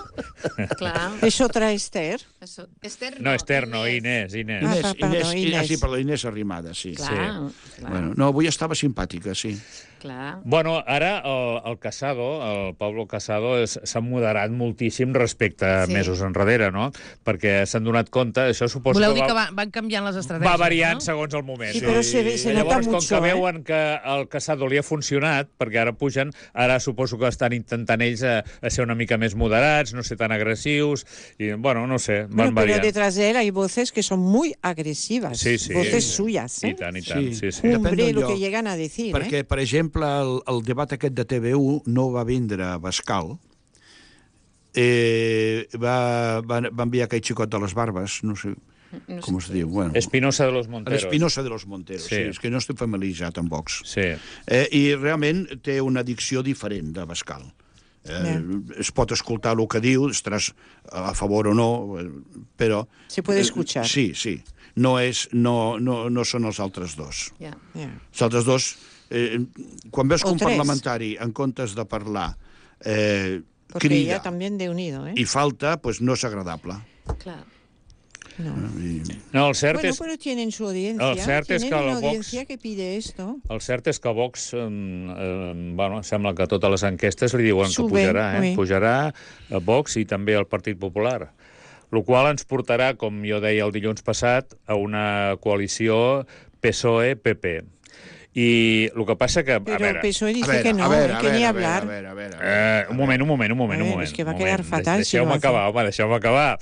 Clar. Es otra Esther. Això. Esther No, Esther, no, Inés. Ah, Inés, Inés. sí, perdó, Inés Arrimadas, sí. Clar, clar, Bueno, no, avui estava simpàtica, sí. clar. Bueno, ara el Casado, el Pablo Casado, s'ha moderat moltíssim respecte a Sí. mesos enrere, no? Perquè s'han donat compte, això suposo Voleu que dir que van canviant les estratègies, va variant no? segons el moment. Sí, però se nota Llavors, com mucho, que veuen que el Casado li ha funcionat, perquè ara pugen, ara suposo que estan intentant ells a ser una mica més moderats, no ser tan agressius, i, bueno, no sé, van Bueno, pero variant. detrás de él hay voces que son muy agresivas. Sí, sí. Voces Sí. suyas. I tant, sí, sí. Depèn Hombre, del lo lloc. que llegan a decir. Perquè, per exemple, el debat aquest de TV1 no va vindre a Bascal, va enviar aquell xicot de les barbes, no sé com es diu. Bueno, Espinosa de los Monteros. l'Espinosa de los Monteros, Sí. sí. És que no estic familiaritzat amb Vox. Sí. I realment té una dicció diferent de Bascal. Es pot escoltar el que diu, estaràs a favor o no, però... Se puede escuchar. Sí. No són els altres dos. Ja. Ya. Els altres dos, quan veus que O un tres. parlamentari, en comptes de parlar, Porque crida ella también de unido, ¿eh? i falta, doncs no és agradable. Clar. No. No, el cert Bueno, és... pero tienen su audiencia. El cert és tienen que una el Vox- audiencia que pide esto. El cert és que Vox, bueno, sembla que a totes les enquestes li diuen que Sube, pujarà, oui. Pujarà a Vox i també al Partit Popular. El qual ens portarà, com jo deia el dilluns passat, a una coalició PSOE-PP. I el que passa que... Pero el PSOE dice que no, que ni hablar. Un moment. Es que va a quedar fatal si lo Deixeu-me hace. acabar, home, deixeu-me acabar.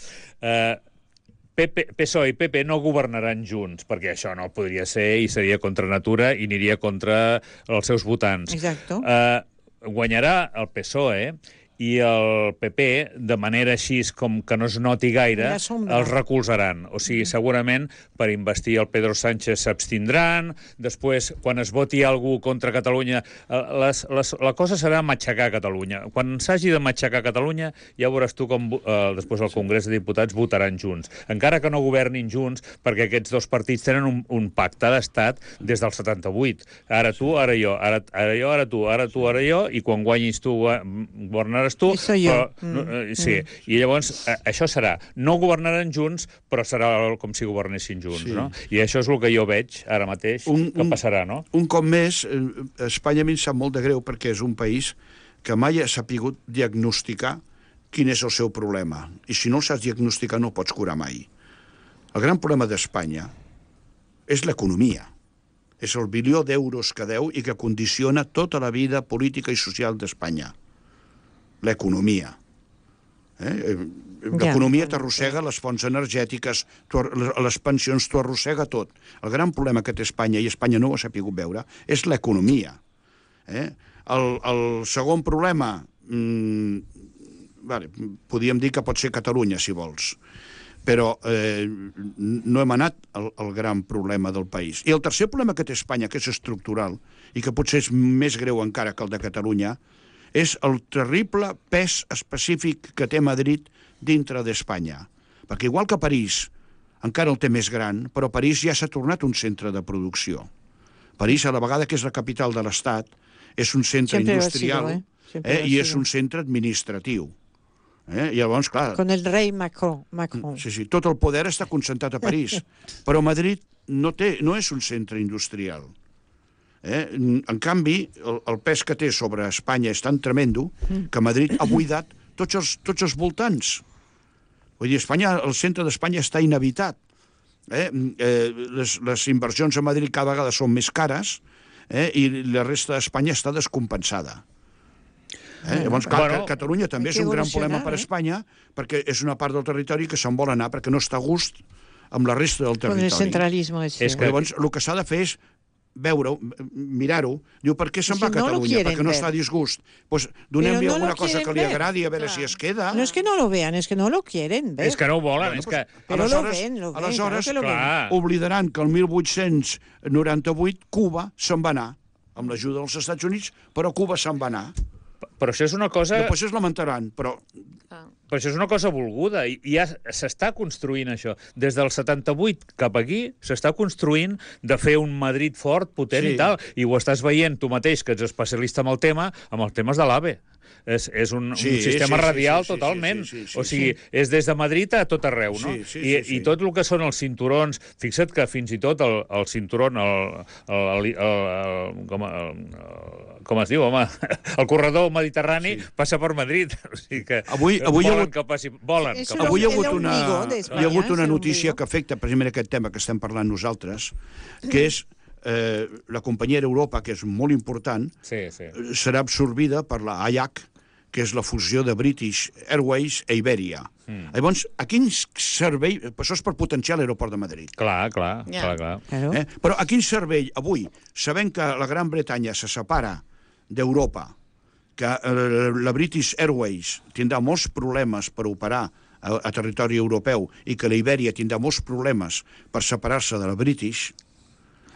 PSOE i PP no governaran junts, perquè això no podria ser i seria contra natura i aniria contra els seus votants. Exacto. Guanyarà el PSOE i el PP, de manera així com que no es noti gaire, La sombra. els recolzaran. O sigui, segurament per investir el Pedro Sánchez s'abstindran, després, quan es voti algú contra Catalunya, la cosa serà matxacar Catalunya. Quan s'hagi de matxacar Catalunya, ja veuràs tu com després el Congrés de Diputats votaran junts. Encara que no governin junts, perquè aquests dos partits tenen un pacte d'estat des del 78. Ara tu, ara jo, ara jo, ara tu, ara tu, ara jo, i quan guanyis tu, governaràs tu. Eso yo. Sí, i llavors això serà. No governaran junts, però serà com si governessin junts, no? I això és el que jo veig ara mateix que passarà, no? Un cop més, Espanya a mi em sap molt de greu perquè és un país que mai ha sapigut diagnosticar quin és el seu problema. I si no el saps diagnosticar no el pots curar mai. El gran problema d'Espanya és l'economia. És el bilió d'euros que deu i que condiciona tota la vida política i social d'Espanya. L'economia. L'economia t'arrossega les fonts energètiques, les pensions, t'ho arrossega tot. El gran problema que té Espanya, i Espanya no ho ha sapigut veure, és l'economia. El segon problema, podríem dir que pot ser Catalunya, si vols, però no hem anat al gran problema del país. I el tercer problema que té Espanya, que és estructural, i que potser és més greu encara que el de Catalunya, és el terrible pes específic que té Madrid dintre d'Espanya. Perquè igual que París encara el té més gran, però París ja s'ha tornat un centre de producció. París, a la vegada que és la capital de l'Estat, és un centre industrial i és un centre administratiu. I llavors, clar... Con el rei Macron. Sí, tot el poder està concentrat a París. Però Madrid no és un centre industrial. En canvi, el pes que té sobre Espanya és tan tremendo que Madrid ha buidat tots els voltants. Vull dir, el centre d'Espanya està inhabitat. Les inversions a Madrid cada vegada són més cares i la resta d'Espanya està descompensada. Llavors, clar, Catalunya també és un gran problema per Espanya perquè és una part del territori que se'n vol anar perquè no està a gust amb la resta del territori. Con el centralismo ese. Llavors, el que s'ha de fer és veure-ho, mirar-ho, diu, per què se'n va a Catalunya? Perquè no està a disgust. Doncs donem-li alguna cosa que li agradi, a veure si es queda. No es que no lo vean, es que no lo quieren ver. És que no ho volen, és que... Però lo ven, aleshores, clar, oblidaran que el 1898 Cuba se'n va anar, amb l'ajuda dels Estats Units, però Cuba se'n va anar. Però això és una cosa... Després es lamentaran, però... Però això és una cosa volguda, i ja s'està construint això. Des del 78 cap aquí s'està construint de fer un Madrid fort, potent i tal, i ho estàs veient tu mateix, que ets especialista en el tema, amb els temes de l'AVE. És un sistema radial totalment. O sigui, és des de Madrid a tot arreu, no? I tot el que són els cinturons... Fixa't que fins i tot el cinturon, com es diu, home? El corredor mediterrani passa per Madrid. O sigui que volen que passi... Avui hi ha hagut una notícia que afecta precisament aquest tema que estem parlant nosaltres, que és la companyia Europa, que és molt important, serà absorbida per la AIAC, que és la fusió de British Airways a Iberia. Llavors, a quin servei... Això és per potenciar l'aeroport de Madrid. Clar. Però a quin servei, avui, sabent que la Gran Bretanya se separa d'Europa, que la British Airways tindrà molts problemes per operar a territori europeu i que la Iberia tindrà molts problemes per separar-se de la British,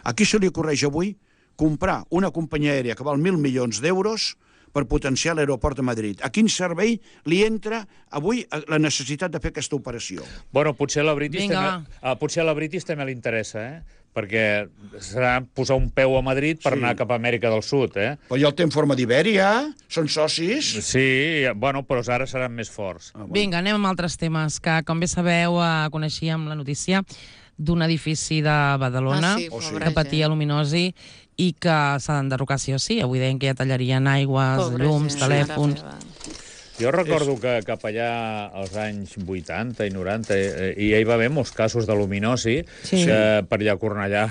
a qui se li ocorreix avui comprar una companyia aèria que val 1.000 milions d'euros per potenciar l'aeroport de Madrid? A quin servei li entra avui la necessitat de fer aquesta operació? Bueno, potser a la British també li interessa, perquè serà posar un peu a Madrid per anar cap a Amèrica del Sud, Però ja el té en forma d'Ibèria, són socis. Sí, bueno, però ara seran més forts. Vinga, anem amb altres temes, que com bé sabeu, coneixíem la notícia d'un edifici de Badalona que patia luminosi i que s'ha d'enderrocar sí o sí. Avui deien que ja tallarien aigües, llums, telèfons... Jo recordo que cap allà als anys 80 i 90 hi va haver molts casos de luminosi, que per allà a Cornellà,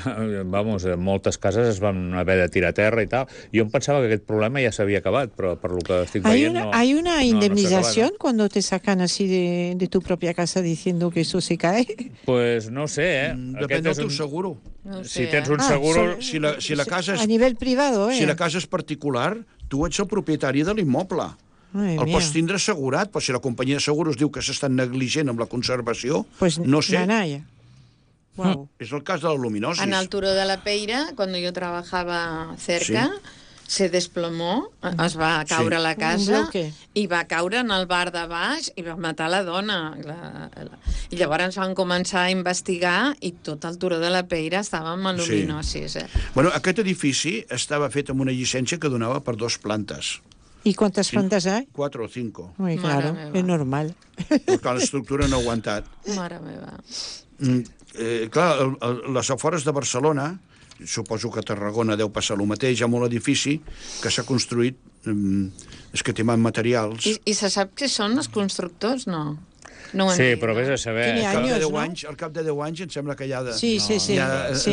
moltes cases es van haver de tirar a terra i tal. Jo em pensava que aquest problema ja s'havia acabat, però per lo que estic veient no. ¿Hay una indemnización cuando te sacan así de tu propia casa diciendo que eso se cae? Pues no sé, Depèn del teu seguro. No ho sé, Si tens un seguro... Si la casa és... A nivel privado, Si la casa és particular, tu ets el propietari de l'immoble. Madre El mía. pots tindre assegurat, però si la companyia de seguros diu que s'estan negligent amb la conservació, Pues no sé. nanaya. Wow. És el cas de la luminosis. En el Turó de la Peira, cuando yo trabajaba cerca, se desplomó, es va caure la casa bloque. i va caure en el bar de baix i va matar la dona. I llavors van començar a investigar i tot el Turó de la Peira estava amb aluminosis. Bueno, aquest edifici estava fet amb una llicència que donava per 2 plantes. ¿Y cuántas plantas hay? 4 o 5. Muy claro, Mare meva. es normal. Perquè l'estructura no ha aguantat. Mare meva. Clar, les afores de Barcelona, suposo que a Tarragona deu passar el mateix, hi ha molt edifici que s'ha construït escatimant materials. I se sap què són els constructors? No. No ho Sí, entenc. però vés a saber... Tiene Al cap de 10 anys em sembla que ja Sí.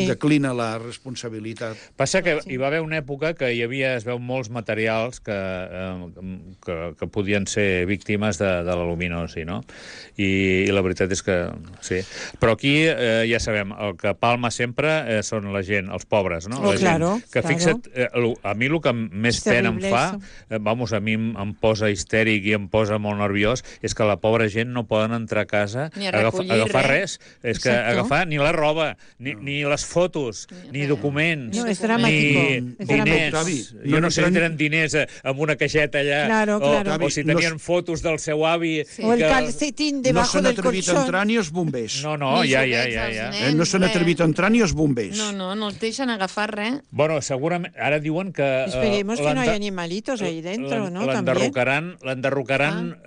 declina la responsabilitat. Passa que hi va haver una època que es veu molts materials que podien ser víctimes de la luminosi, no? I la veritat és que sí. Però aquí ja sabem, el que palma sempre són la gent, els pobres, no? La claro, gent. Que fixa't, a mi el que més És pena em terrible fa, a mi em posa histèric i em posa molt nerviós, és que la pobra gent no poden entrar a casa Ni a a recollir agafar res. És que Exacto. agafar ni la roba, ni les fotos, ni documents, No, es ni dramático. Es diners. dramático. Jo no sé si tenen diners amb una caixeta allà, Claro, claro. o si tenien fotos del seu avi. O el calcetín No debajo s'han del atrevit a colchón. entrar ni els bombers. No, Ni ja. joguets als nens, No s'han res. atrevit a entrar ni els bombers. No els deixen agafar res. Bueno, segurament, ara diuen que... Esperemos que no haya animalitos ahí dentro, ¿no? También. L'enderrocaran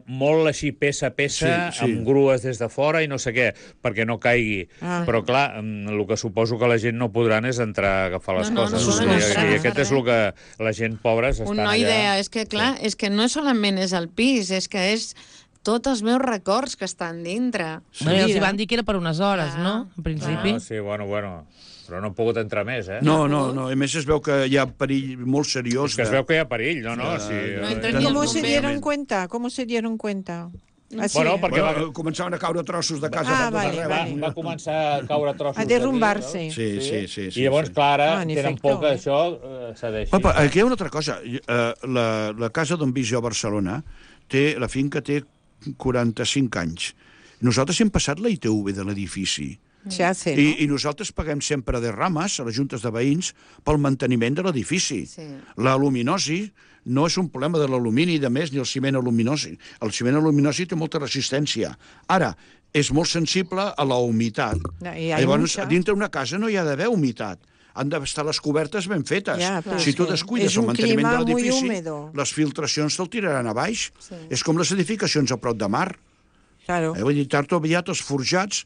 molt així peça a peça, Sí. amb grues des de fora i no sé què, perquè no caigui. Però, clar, el que suposo que la gent no podran és entrar a agafar les No, coses. no I podran entrar a aquest agafar és el que la gent pobra estan Una allà. idea, és que, clar, és que no solament és el pis, és que és tots els meus records que estan dintre. Bueno, els hi van dir que era per unes hores, no? En principi. Sí, bueno, però no ha pogut entrar més, eh? No. A més es veu que hi ha perill molt seriós. És que es veu que hi ha perill, no? Sí, No entren ni ¿Cómo els se bombers. dieron cuenta? ¿Cómo se dieron cuenta? Así. Bueno, perquè començaven a caure trossos de casa. va començar a caure trossos. A derrumbar-se. Sí. I llavors, clar, ara en tenen efecto, por que això cedeixi. Papa, aquí hi ha una altra cosa. La casa d'on visc jo a Barcelona, la finca té 45 anys. Nosaltres hem passat la ITV de l'edifici. Se hace, ¿no? I nosaltres paguem sempre de rames a les juntes de veïns pel manteniment de l'edifici. Sí. La luminosi no és un problema de l'alumini, de més, ni el ciment aluminosi. El ciment aluminosi té molta resistència. Ara, és molt sensible a la humitat. No, i hay Llavors, mucha. dintre una casa no hi ha d'haver humitat. Han d'estar les cobertes ben fetes. Ja, però Si és tu que descuides és el un manteniment clima de muy l'edifici, húmedo. les filtracions te'l tiraran a baix. És com les edificacions a prop de mar. Claro. Vull dir, tard o aviat els forjats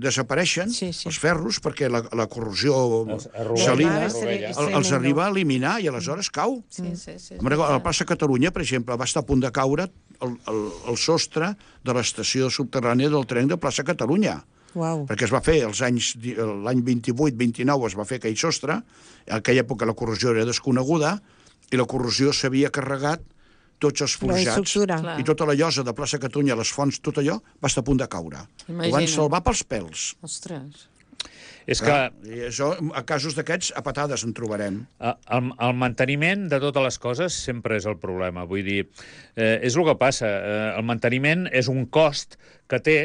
desapareixen, els ferros, perquè la corrosió salina els arriba a eliminar i aleshores cau. Sí. A la plaça Catalunya, per exemple, va estar a punt de caure el sostre de l'estació subterrània del tren de plaça Catalunya. Wow. Perquè es va fer l'any 28-29 es va fer aquell sostre, en aquella època la corrosió era desconeguda i la corrosió s'havia carregat tots els forjats i tota la llosa de plaça Catalunya, les fonts, tot allò va estar a punt de caure. Ho van salvar pels pèls. Ostres. És que... I això, a casos d'aquests, a patades en trobarem. El manteniment de totes les coses sempre és el problema. Vull dir, és el que passa. El manteniment és un cost que té,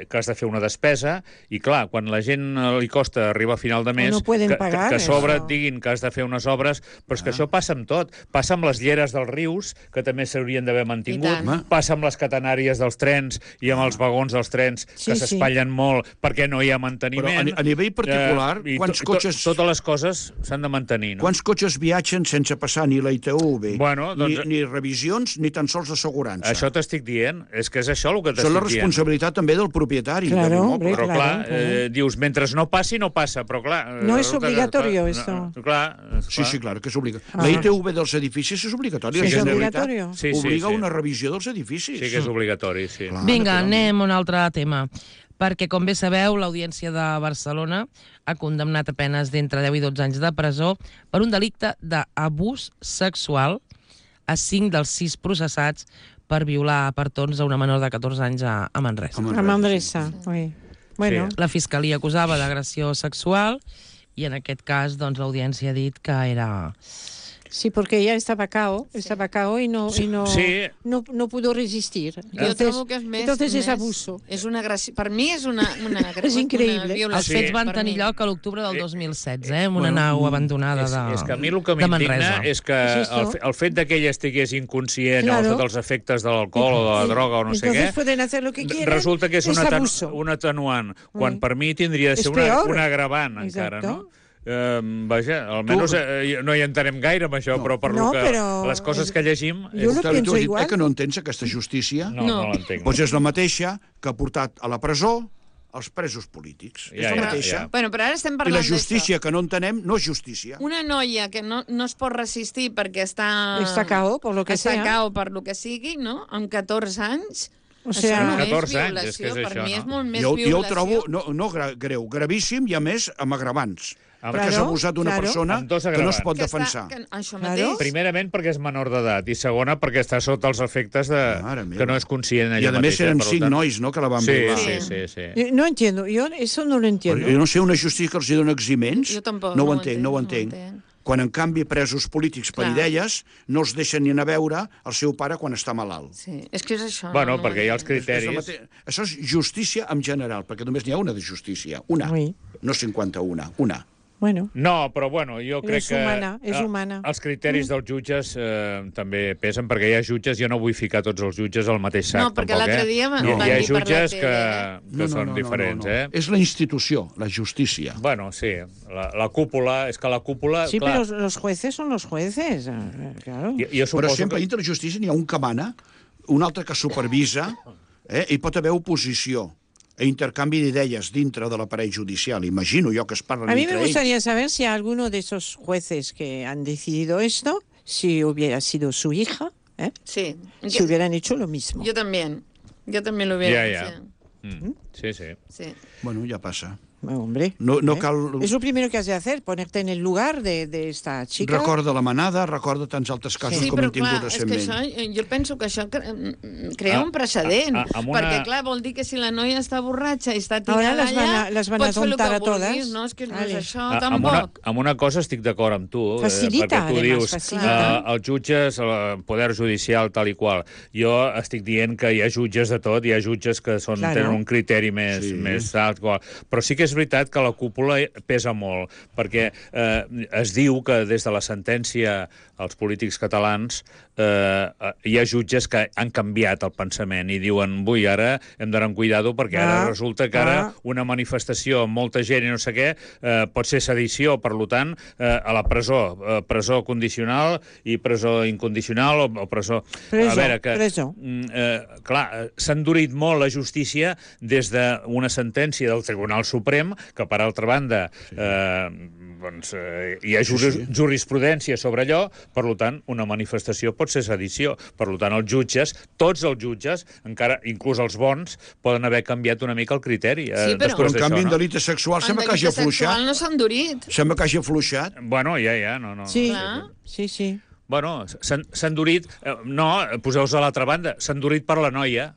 que has de fer una despesa, i clar, quan la gent li costa arribar a final de mes, que a sobre et diguin que has de fer unes obres, però és que això passa amb tot. Passa amb les lleres dels rius, que també s'haurien d'haver mantingut, passa amb les catenàries dels trens i amb els vagons dels trens, que s'espatllen molt perquè no hi ha manteniment. Però a nivell particular, quants cotxes... Totes les coses s'han de mantenir, no? Quants cotxes viatgen sense passar ni la ITV, ni revisions, ni tan sols assegurança? Això t'estic dient. És que és això el que t'estic dient. Són la responsabilitat responsabilitat també del propietari. Claro, de l'immoble. hombre, Però claro, clar, dius, mentre no passi, no passa, però clar... No és resulta obligatorio, que, esto. Clar, Sí, claro que és obligatori. La ITV dels edificis és obligatori. Sí, la és Generalitat obligatorio. Sí, obliga una revisió dels edificis. Sí que és obligatori, sí. Clar. Vinga, naturalment. anem a un altre tema. Perquè, com bé sabeu, l'Audiència de Barcelona ha condemnat a penes d'entre 10 i 12 anys de presó per un delicte d'abús sexual a 5 dels 6 processats per violar per torns a una menor de 14 anys a Manresa. A Manresa, oui. Bueno, La Fiscalia acusava d'agressió sexual i en aquest cas doncs, l'Audiència ha dit que era... sí, porque ella estaba cao y no Sí. no pudo resistir. Jo trobo que és més... Entonces més, és abuso. És una agressió. Per mi és una És increïble. Una Els violació. fets van per tenir mi. lloc a l'octubre del 2016, en una nau abandonada És que a mi el que de m'indigna Manresa. és que És això. el fet que ella estigués inconscient Claro. o sota els efectes de l'alcohol o de la droga o no sé Entonces què, pueden hacer lo que quieran. resulta que és abuso. un atenuant, quan per mi tindria de És ser peor. una agravant encara, Exacto. no? Vaja, almenys no hi entenem gaire amb això, però per No, lo que però les coses que llegim... Jo lo Clar, tu pienso has dit, igual. que no entens aquesta justícia? No l'entenc. Doncs és la mateixa que ha portat a la presó els presos polítics. És la mateixa. Bueno, però ara estem I parlant la justícia que no entenem no és justícia. Una noia que no es pot resistir perquè està... Està cao, por lo que està sea. cao per lo que sigui, no? Amb 14 anys... O sea, això no 14 és anys, violació, és que és per això, mi no? és molt més Jo violació. ho trobo greu, gravíssim i a més amb agravants. Amb- Perquè has Claro, abusat d'una claro. persona Amb dos que no es agravants. pot Que està- defensar. que això Claro. mateix. Primerament perquè és menor d'edat i segona perquè està sota els efectes de... Mare meva. que no és conscient I ella a més mateixa. eren per 5 tant- nois, no?, que la van Sí, violar. sí. No entiendo, yo eso no lo entiendo. Jo no sé, una justícia que els dona eximents, Jo tampoc, no ho no ho entenc, no ho entenc, entenc. no ho entenc. Quan, en canvi, presos polítics per Clar. idees no els deixen ni anar a veure el seu pare quan està malalt. Sí, és que és això. Bueno, no, perquè hi ha els És la criteris... Això és justícia en general, perquè només n'hi ha una de justícia. Una, Oui. no 51, una. Bueno, No, però bueno, jo crec És que... humana, és humana. Els criteris dels jutges també pesen, perquè hi ha jutges, jo no vull ficar tots els jutges al mateix sac, No, perquè tampoc, l'altre dia van Hi ha dir per la jutges tele, que són diferents, És la institució, la justícia. Bueno, sí, la cúpula, és que la cúpula... sí, clar, pero los jueces son los jueces, claro. jo Però suposo sempre que... dintre la justícia n'hi ha un que mana, un altre que supervisa, i pot haver oposició e intercanvi d'idees dintre de l'aparell judicial. Imagino jo que es parlen A mí entre me ells. gustaría saber si alguno de esos jueces que han decidido esto, si hubiera sido su hija, Sí. si hubieran hecho lo mismo. Yo también lo hubiera Ja. hecho. Sí, sí. Sí. Bueno, ja passa. Hombre, No cal... es lo primero que has de hacer, ponerte en el lugar de esta chica. Recorda la manada, recorda tants altres casos Sí, com però hem tingut clar, és que recentment. això, jo penso que això crea un precedent, amb una- perquè clar, vol dir que si la noia està borratxa i està Ahora tirada las van a pots fer el tontar que a todas. vulguis, no? És que no és Vale. això, Amb tampoc. una cosa estic d'acord amb tu, Facilita, perquè tu además, dius facilita. els jutges, el poder judicial, tal i qual. Jo estic dient que hi ha jutges de tot, hi ha jutges que Claro. tenen un criteri més alt, qual. Però sí que és veritat que la cúpula pesa molt, perquè es diu que des de la sentència als polítics catalans hi ha jutges que han canviat el pensament i diuen, ui, ara hem d'anar amb cuidado perquè ara resulta que ara una manifestació amb molta gent i no sé què pot ser sedició, per tant, a la presó, presó condicional i presó incondicional o presó... Presó, a veure, que, presó. clar, s'ha endurit molt la justícia des d'una sentència del Tribunal Suprem, que per altra banda hi ha jurisprudència sobre allò, per tant, una manifestació pot ser sedició. Per tant, els jutges, tots els jutges, encara, inclús els bons, poden haver canviat una mica el criteri. Sí, però- Però, en d'això, canvi, en no? delicte sexual sembla que hagi En delicte afluixat. sexual no s'ha endurit. Sembla que hagi afluixat. Bueno, ja, no. Sí, Clar. sí. Bueno, s'ha endurit... No, poseu-vos a l'altra banda, s'ha endurit per la noia.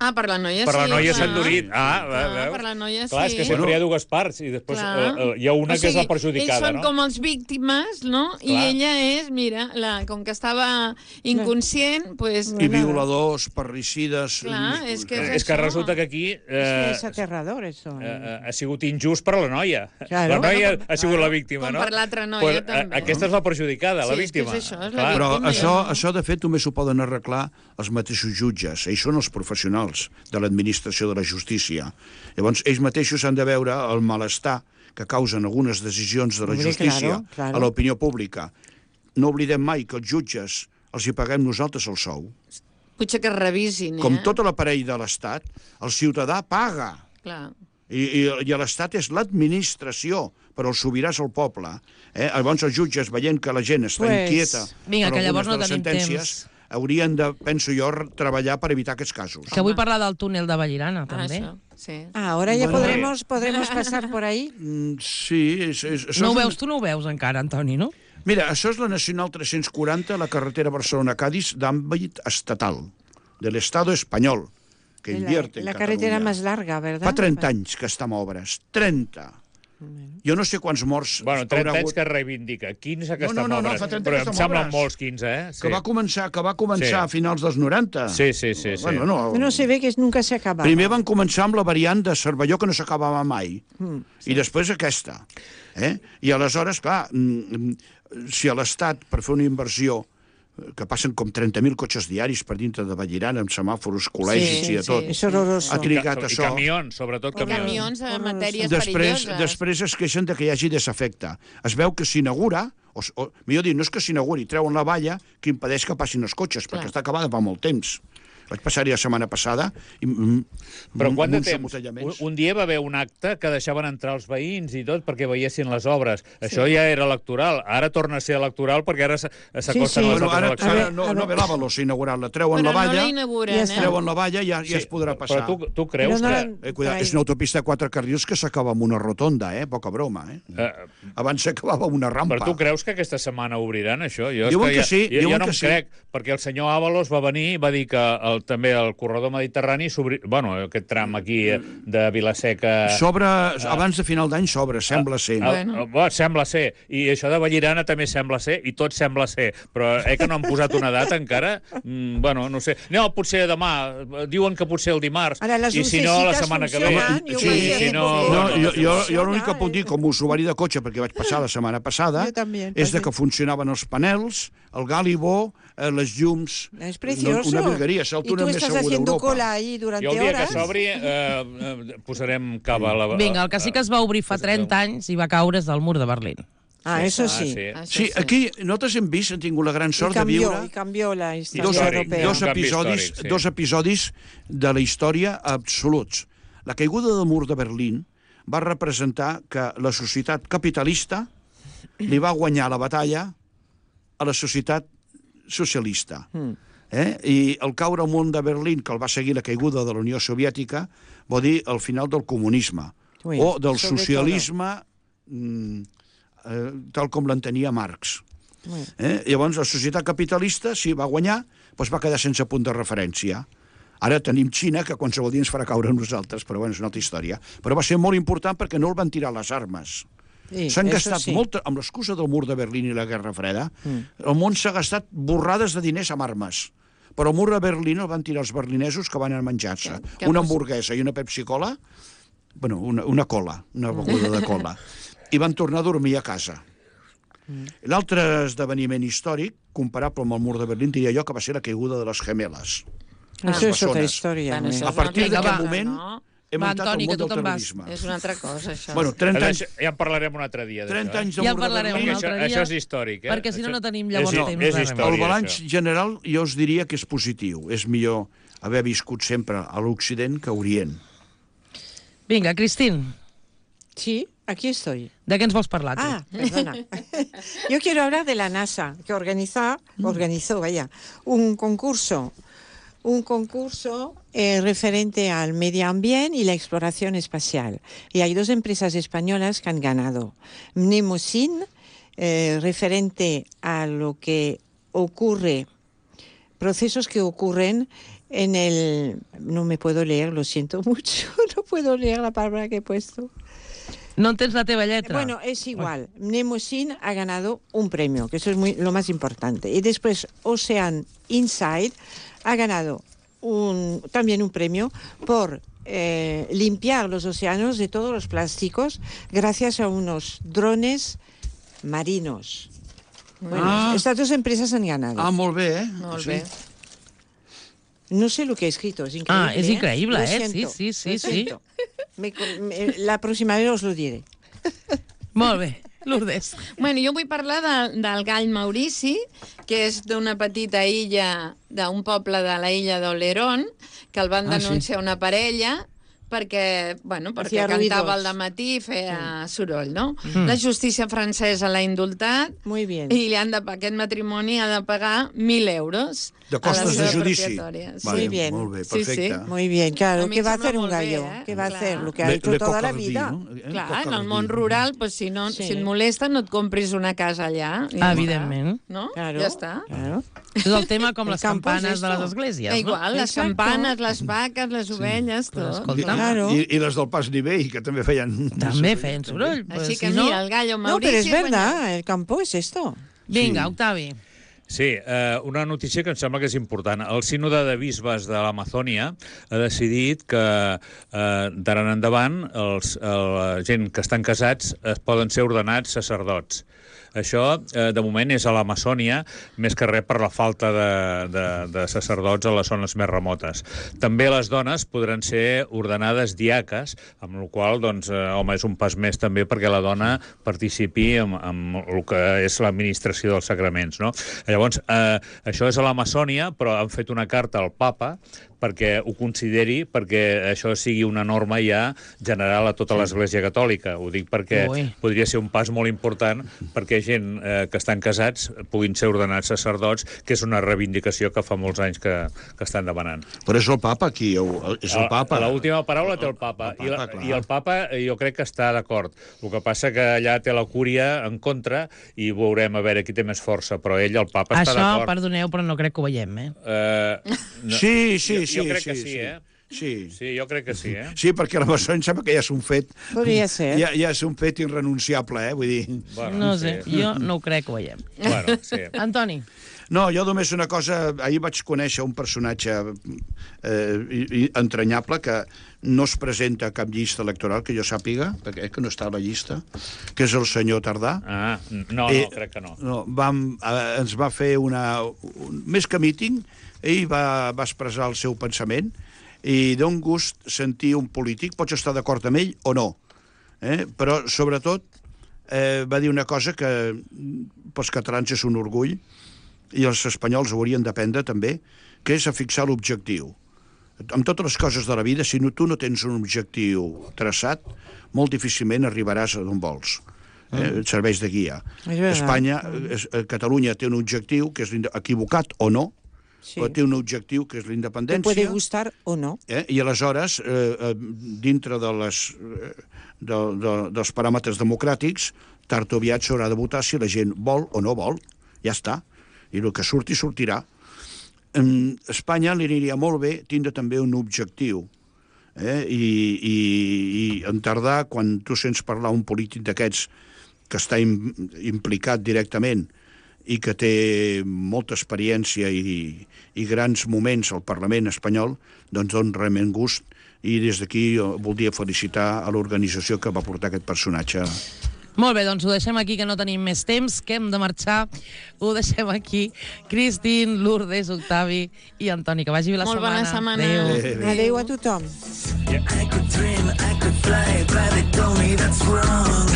Ah, per la noia sí. Per la noia clar. s'ha endurit. Clar, per la noia Clar, és sí. que sempre hi ha dues parts i després hi ha una que és la perjudicada, ells són no? com els víctimes, no? I Clar. ella és, mira, com que estava inconscient, pues... I violadors, parricides... Clar, és que És que resulta que aquí Es aterrador eso. ha sigut injust per a la noia. Claro. La noia Bueno, ha sigut la víctima, com no? per l'altra noia, Pues, també. Aquesta és la perjudicada, la Sí, és que és víctima. això, és la Clar. Però víctima. això, de fet, només ho poden arreglar els mateixos jutges. Ells són els professionals de l'administració de la justícia. Llavors, ells mateixos han de veure el malestar que causen algunes decisions de la Hombre, justícia claro. a l'opinió pública. No oblidem mai que els jutges els hi paguem nosaltres el sou. Potser que es revisin, Com tot l'aparell de l'Estat, el ciutadà paga. Clar. I l'Estat és l'administració, però el sobirà és el poble. Llavors els jutges, veient que la gent està inquieta vinga, per que llavors algunes de no les tenim sentències, haurien de, penso jo, treballar per evitar aquests casos. Que vull parlar del túnel de Vallirana, també. Això, sí. Ahora ya Bueno, podremos pasar por ahí. Sí, No ho veus, tu no ho veus encara, Antoni, no? Mira, això és la Nacional 340, la carretera Barcelona-Cádiz d'àmbit estatal, de l'Estado espanyol, que invierte en La carretera Catalunya. más larga, ¿verdad? Fa 30 anys que està en obres. 30. Jo no sé quants morts... Bueno, haurà 30 anys hagut. que reivindica. 15 que No, està en no, obres. fa 30 Però que em està en semblen obres. molts 15, eh? Sí. Que va començar Sí. a finals dels 90. Sí. Bueno, No se ve que nunca se acaba. Primer van començar amb la variant de Cervelló, que no s'acabava mai. I després aquesta. I aleshores, clar, si a l'Estat, per fer una inversió, que passen com 30.000 cotxes diaris per dintre de Vallirana, amb semàfors, col·legis i de tot, Es horroroso. ha trigat I això. camions, sobretot camions. Camions en matèries Després perilloses. es queixen de que hi hagi desafecte. Es veu que s'inaugura, o millor dir, no és que s'inauguri, treuen la valla que impedeix que passin els cotxes, perquè està acabada fa molt temps. Vaig passar-hi la setmana passada i Però quant de uns temps? embotellaments. Un dia va haver un acte que deixaven entrar els veïns i tot perquè veiessin les obres. Això ja era electoral. Ara torna a ser electoral perquè ara s'acosten Sí. les Bueno, altres ara eleccions. no ve l'Avalos inaugurar-la. Treuen Però la no la valla, inauguren, treuen la valla i ja es podrà passar. Però tu creus Però que... Cuidado, és una autopista de 4 carrils que s'acaba amb una rotonda, poca broma. Abans s'acabava amb una rampa. Però tu creus que aquesta setmana obriran això? Jo, Diuen és que sí, jo diuen no que em sí. crec, perquè el senyor Ábalos va venir i va dir que també el corredor mediterrani s'obri... Bueno, aquest tram aquí de Vilaseca... Abans de final d'any s'obre, sembla ser. Sembla ser. I això de Vallirana també sembla ser, i tot sembla ser. Però que no han posat una data encara? Bueno, no sé. No, potser demà. Diuen que potser el dimarts. Ara, les I si no, la lucecitas setmana que ve. funcionan, jo Sí, ho vaig sí, dir, no, porque jo l'únic que puc dir, com a usuari de cotxe, perquè vaig passar la setmana passada, Jo també, és de també. que funcionaven els panels, el gàlibó, les llums... Es precioso. Una virgueria, és el y tú túnel més estás segur haciendo d'Europa. cola ahí durante I el dia horas. que s'obri posarem cava a la... Vinga, el que sí que es va obrir fa 30 anys i va caure és del mur de Berlín. Eso sí. Sí, aquí nosaltres hem vist, hem tingut la gran sort de viure Y cambió la historia dos, europea. dos, Un canvi episodis, històric, sí. dos episodis de la història absoluts. La caiguda del mur de Berlín va representar que la societat capitalista li va guanyar la batalla a la societat socialista. I el caure al mur de Berlín, que el va seguir la caiguda de la Unió Soviètica, vol dir el final del comunisme, Ui, o del sobre socialisme tal com l'entenia Marx. Llavors, la societat capitalista, si va guanyar, doncs va quedar sense punt de referència. Ara tenim Xina, que qualsevol dia ens farà caure a nosaltres, però bueno, és una altra història. Però va ser molt important perquè no el van tirar les armes. Sí, S'han eso gastat sí. molt, amb l'excusa del mur de Berlín i la Guerra Freda, el món s'ha gastat borrades de diners amb armes. Però el mur de Berlín el van tirar els berlinesos que van a menjar-se. Una hamburguesa i una Pepsi-Cola, bueno, una cola, una beguda de cola, i van tornar a dormir a casa. L'altre esdeveniment històric, comparable amb el mur de Berlín, diria jo que va ser la caiguda de les gemeles. Eso es otra persones. historia. Bueno, muy- això A és una partir altra d'aquest cosa, moment no? hem Va, entrat Antoni, al que món tu del te'n vas. terrorisme. És una altra cosa, això. Bueno, 30 anys, Ja en parlarem un altre dia, d'això. 30 anys de Ja mur en de parlarem Berlín. un altre dia. Això és històric, Perquè si no, Això- no tenim llavors temps de és res. història, El balanç això. general jo us diria que és positiu. És millor haver viscut sempre a l'Occident que a Orient. Vinga, Cristín, Sí, aquí estoy. de què ens vols parlar, tu? Ah, perdona. Yo quiero hablar de la NASA, que organizó, un concurso referente al medio ambiente y la exploración espacial. Y hay dos empresas españolas que han ganado. Mnemosyne, referente a lo que ocurre, procesos que ocurren en el... No me puedo leer, lo siento mucho, no puedo leer la palabra que he puesto. No entens la teva lletra? Bueno, es igual. Mnemosyne ha ganado un premio, que eso es lo más importante. Y después Ocean Insight ha ganado también un premio por limpiar los océanos de todos los plásticos gracias a unos drones marinos. Bueno, estas dos empresas han ganado. Molt bé, Molt bé. No sé lo que he escrito, es increíble. Ah, es increíble, Lo ¿eh? siento, Sí. lo siento. La próxima vez os lo diré. Molt bé. Lourdes. Bueno, jo vull parlar del gall Maurici, que és d'una petita illa, d'un poble de la illa d'Oleron, que el van denunciar una parella perquè cantava al dematí i feia soroll, no? La justícia francesa l'ha indultat i aquest matrimoni ha de pagar 1.000 euros de costes de judici. Muy bien. Molt bé, perfecte. Muy bien, claro. ¿Qué va a hacer un gallo? ¿Qué va a hacer? Lo que ha hecho toda la vida. Clar, en el món rural, si et molesta, no et compris una casa allà. Evidentment. No? Ja està. És el tema com les campanes de les esglésies, no? Igual, les campanes, les vaques, les ovelles, tot. I les del Pas Nivell, que també feien... També feien soroll. Així que mira, el gallo Maurici... No, pero es verdad, el campo es esto. Vinga, Octavi. Sí, una notícia que em sembla que és important. El sínode de bisbes de l'Amazònia ha decidit que d'ara en endavant la gent que estan casats poden ser ordenats sacerdots. Això, de moment, és a l'Amazònia, més que res per la falta de sacerdots a les zones més remotes. També les dones podran ser ordenades diaques, amb la qual cosa, doncs, home, és un pas més també perquè la dona participi en el que és l'administració dels sacraments, no? Llavors, això és a l'Amazònia, però han fet una carta al papa perquè ho consideri, perquè això sigui una norma ja general a tota l'Església Catòlica. Ho dic perquè podria ser un pas molt important perquè gent que estan casats puguin ser ordenats sacerdots, que és una reivindicació que fa molts anys que estan demanant. Però és el papa qui... És el papa. L'última paraula té el papa. I el papa jo crec que està d'acord. El que passa que allà té la cúria en contra i veurem a veure qui té més força, però ell, el papa, està d'acord. Això, perdoneu, però no crec que ho veiem, Sí. Jo crec que sí, Sí. Sí, jo crec que sí, Sí, perquè la Massó em sembla que ja és un fet... Podria ser. Ja és un fet irrenunciable, vull dir... Bueno, no sé, jo no ho crec que ho veiem. Bueno, sí. Antoni. No, jo només una cosa... Ahir vaig conèixer un personatge entranyable que no es presenta a cap llista electoral, que jo sàpiga, perquè que no està a la llista, que és el senyor Tardà. No, crec que no. Ens va fer més que míting, ell va expressar el seu pensament i d'un gust sentir un polític, pots estar d'acord amb ell o no, però sobretot va dir una cosa que pels catalans és un orgull i els espanyols ho haurien d'aprendre també, que és a fixar l'objectiu. Amb totes les coses de la vida, si tu no tens un objectiu traçat, molt difícilment arribaràs a d'on vols. Et serveix de guia. Catalunya té un objectiu que és equivocat o no, però té un objectiu que és la independència. Te puede gustar o no. I aleshores, dintre dels paràmetres democràtics, tard o aviat s'haurà de votar si la gent vol o no vol. Ja està. I el que surti, sortirà. A Espanya li aniria molt bé tindre també un objectiu. I en Tardà, quan tu sents parlar un polític d'aquests que està implicat directament i que té molta experiència i grans moments al Parlament espanyol, doncs dona realment gust. I des d'aquí voldria felicitar a l'organització que va portar aquest personatge. Molt bé, doncs ho deixem aquí, que no tenim més temps, que hem de marxar. Ho deixem aquí. Cristín, Lourdes, Octavi i Antoni, que vagi bé la setmana. Molt bona setmana. Adéu. Adéu a tothom. I could dream, I could fly, but they told me that's wrong.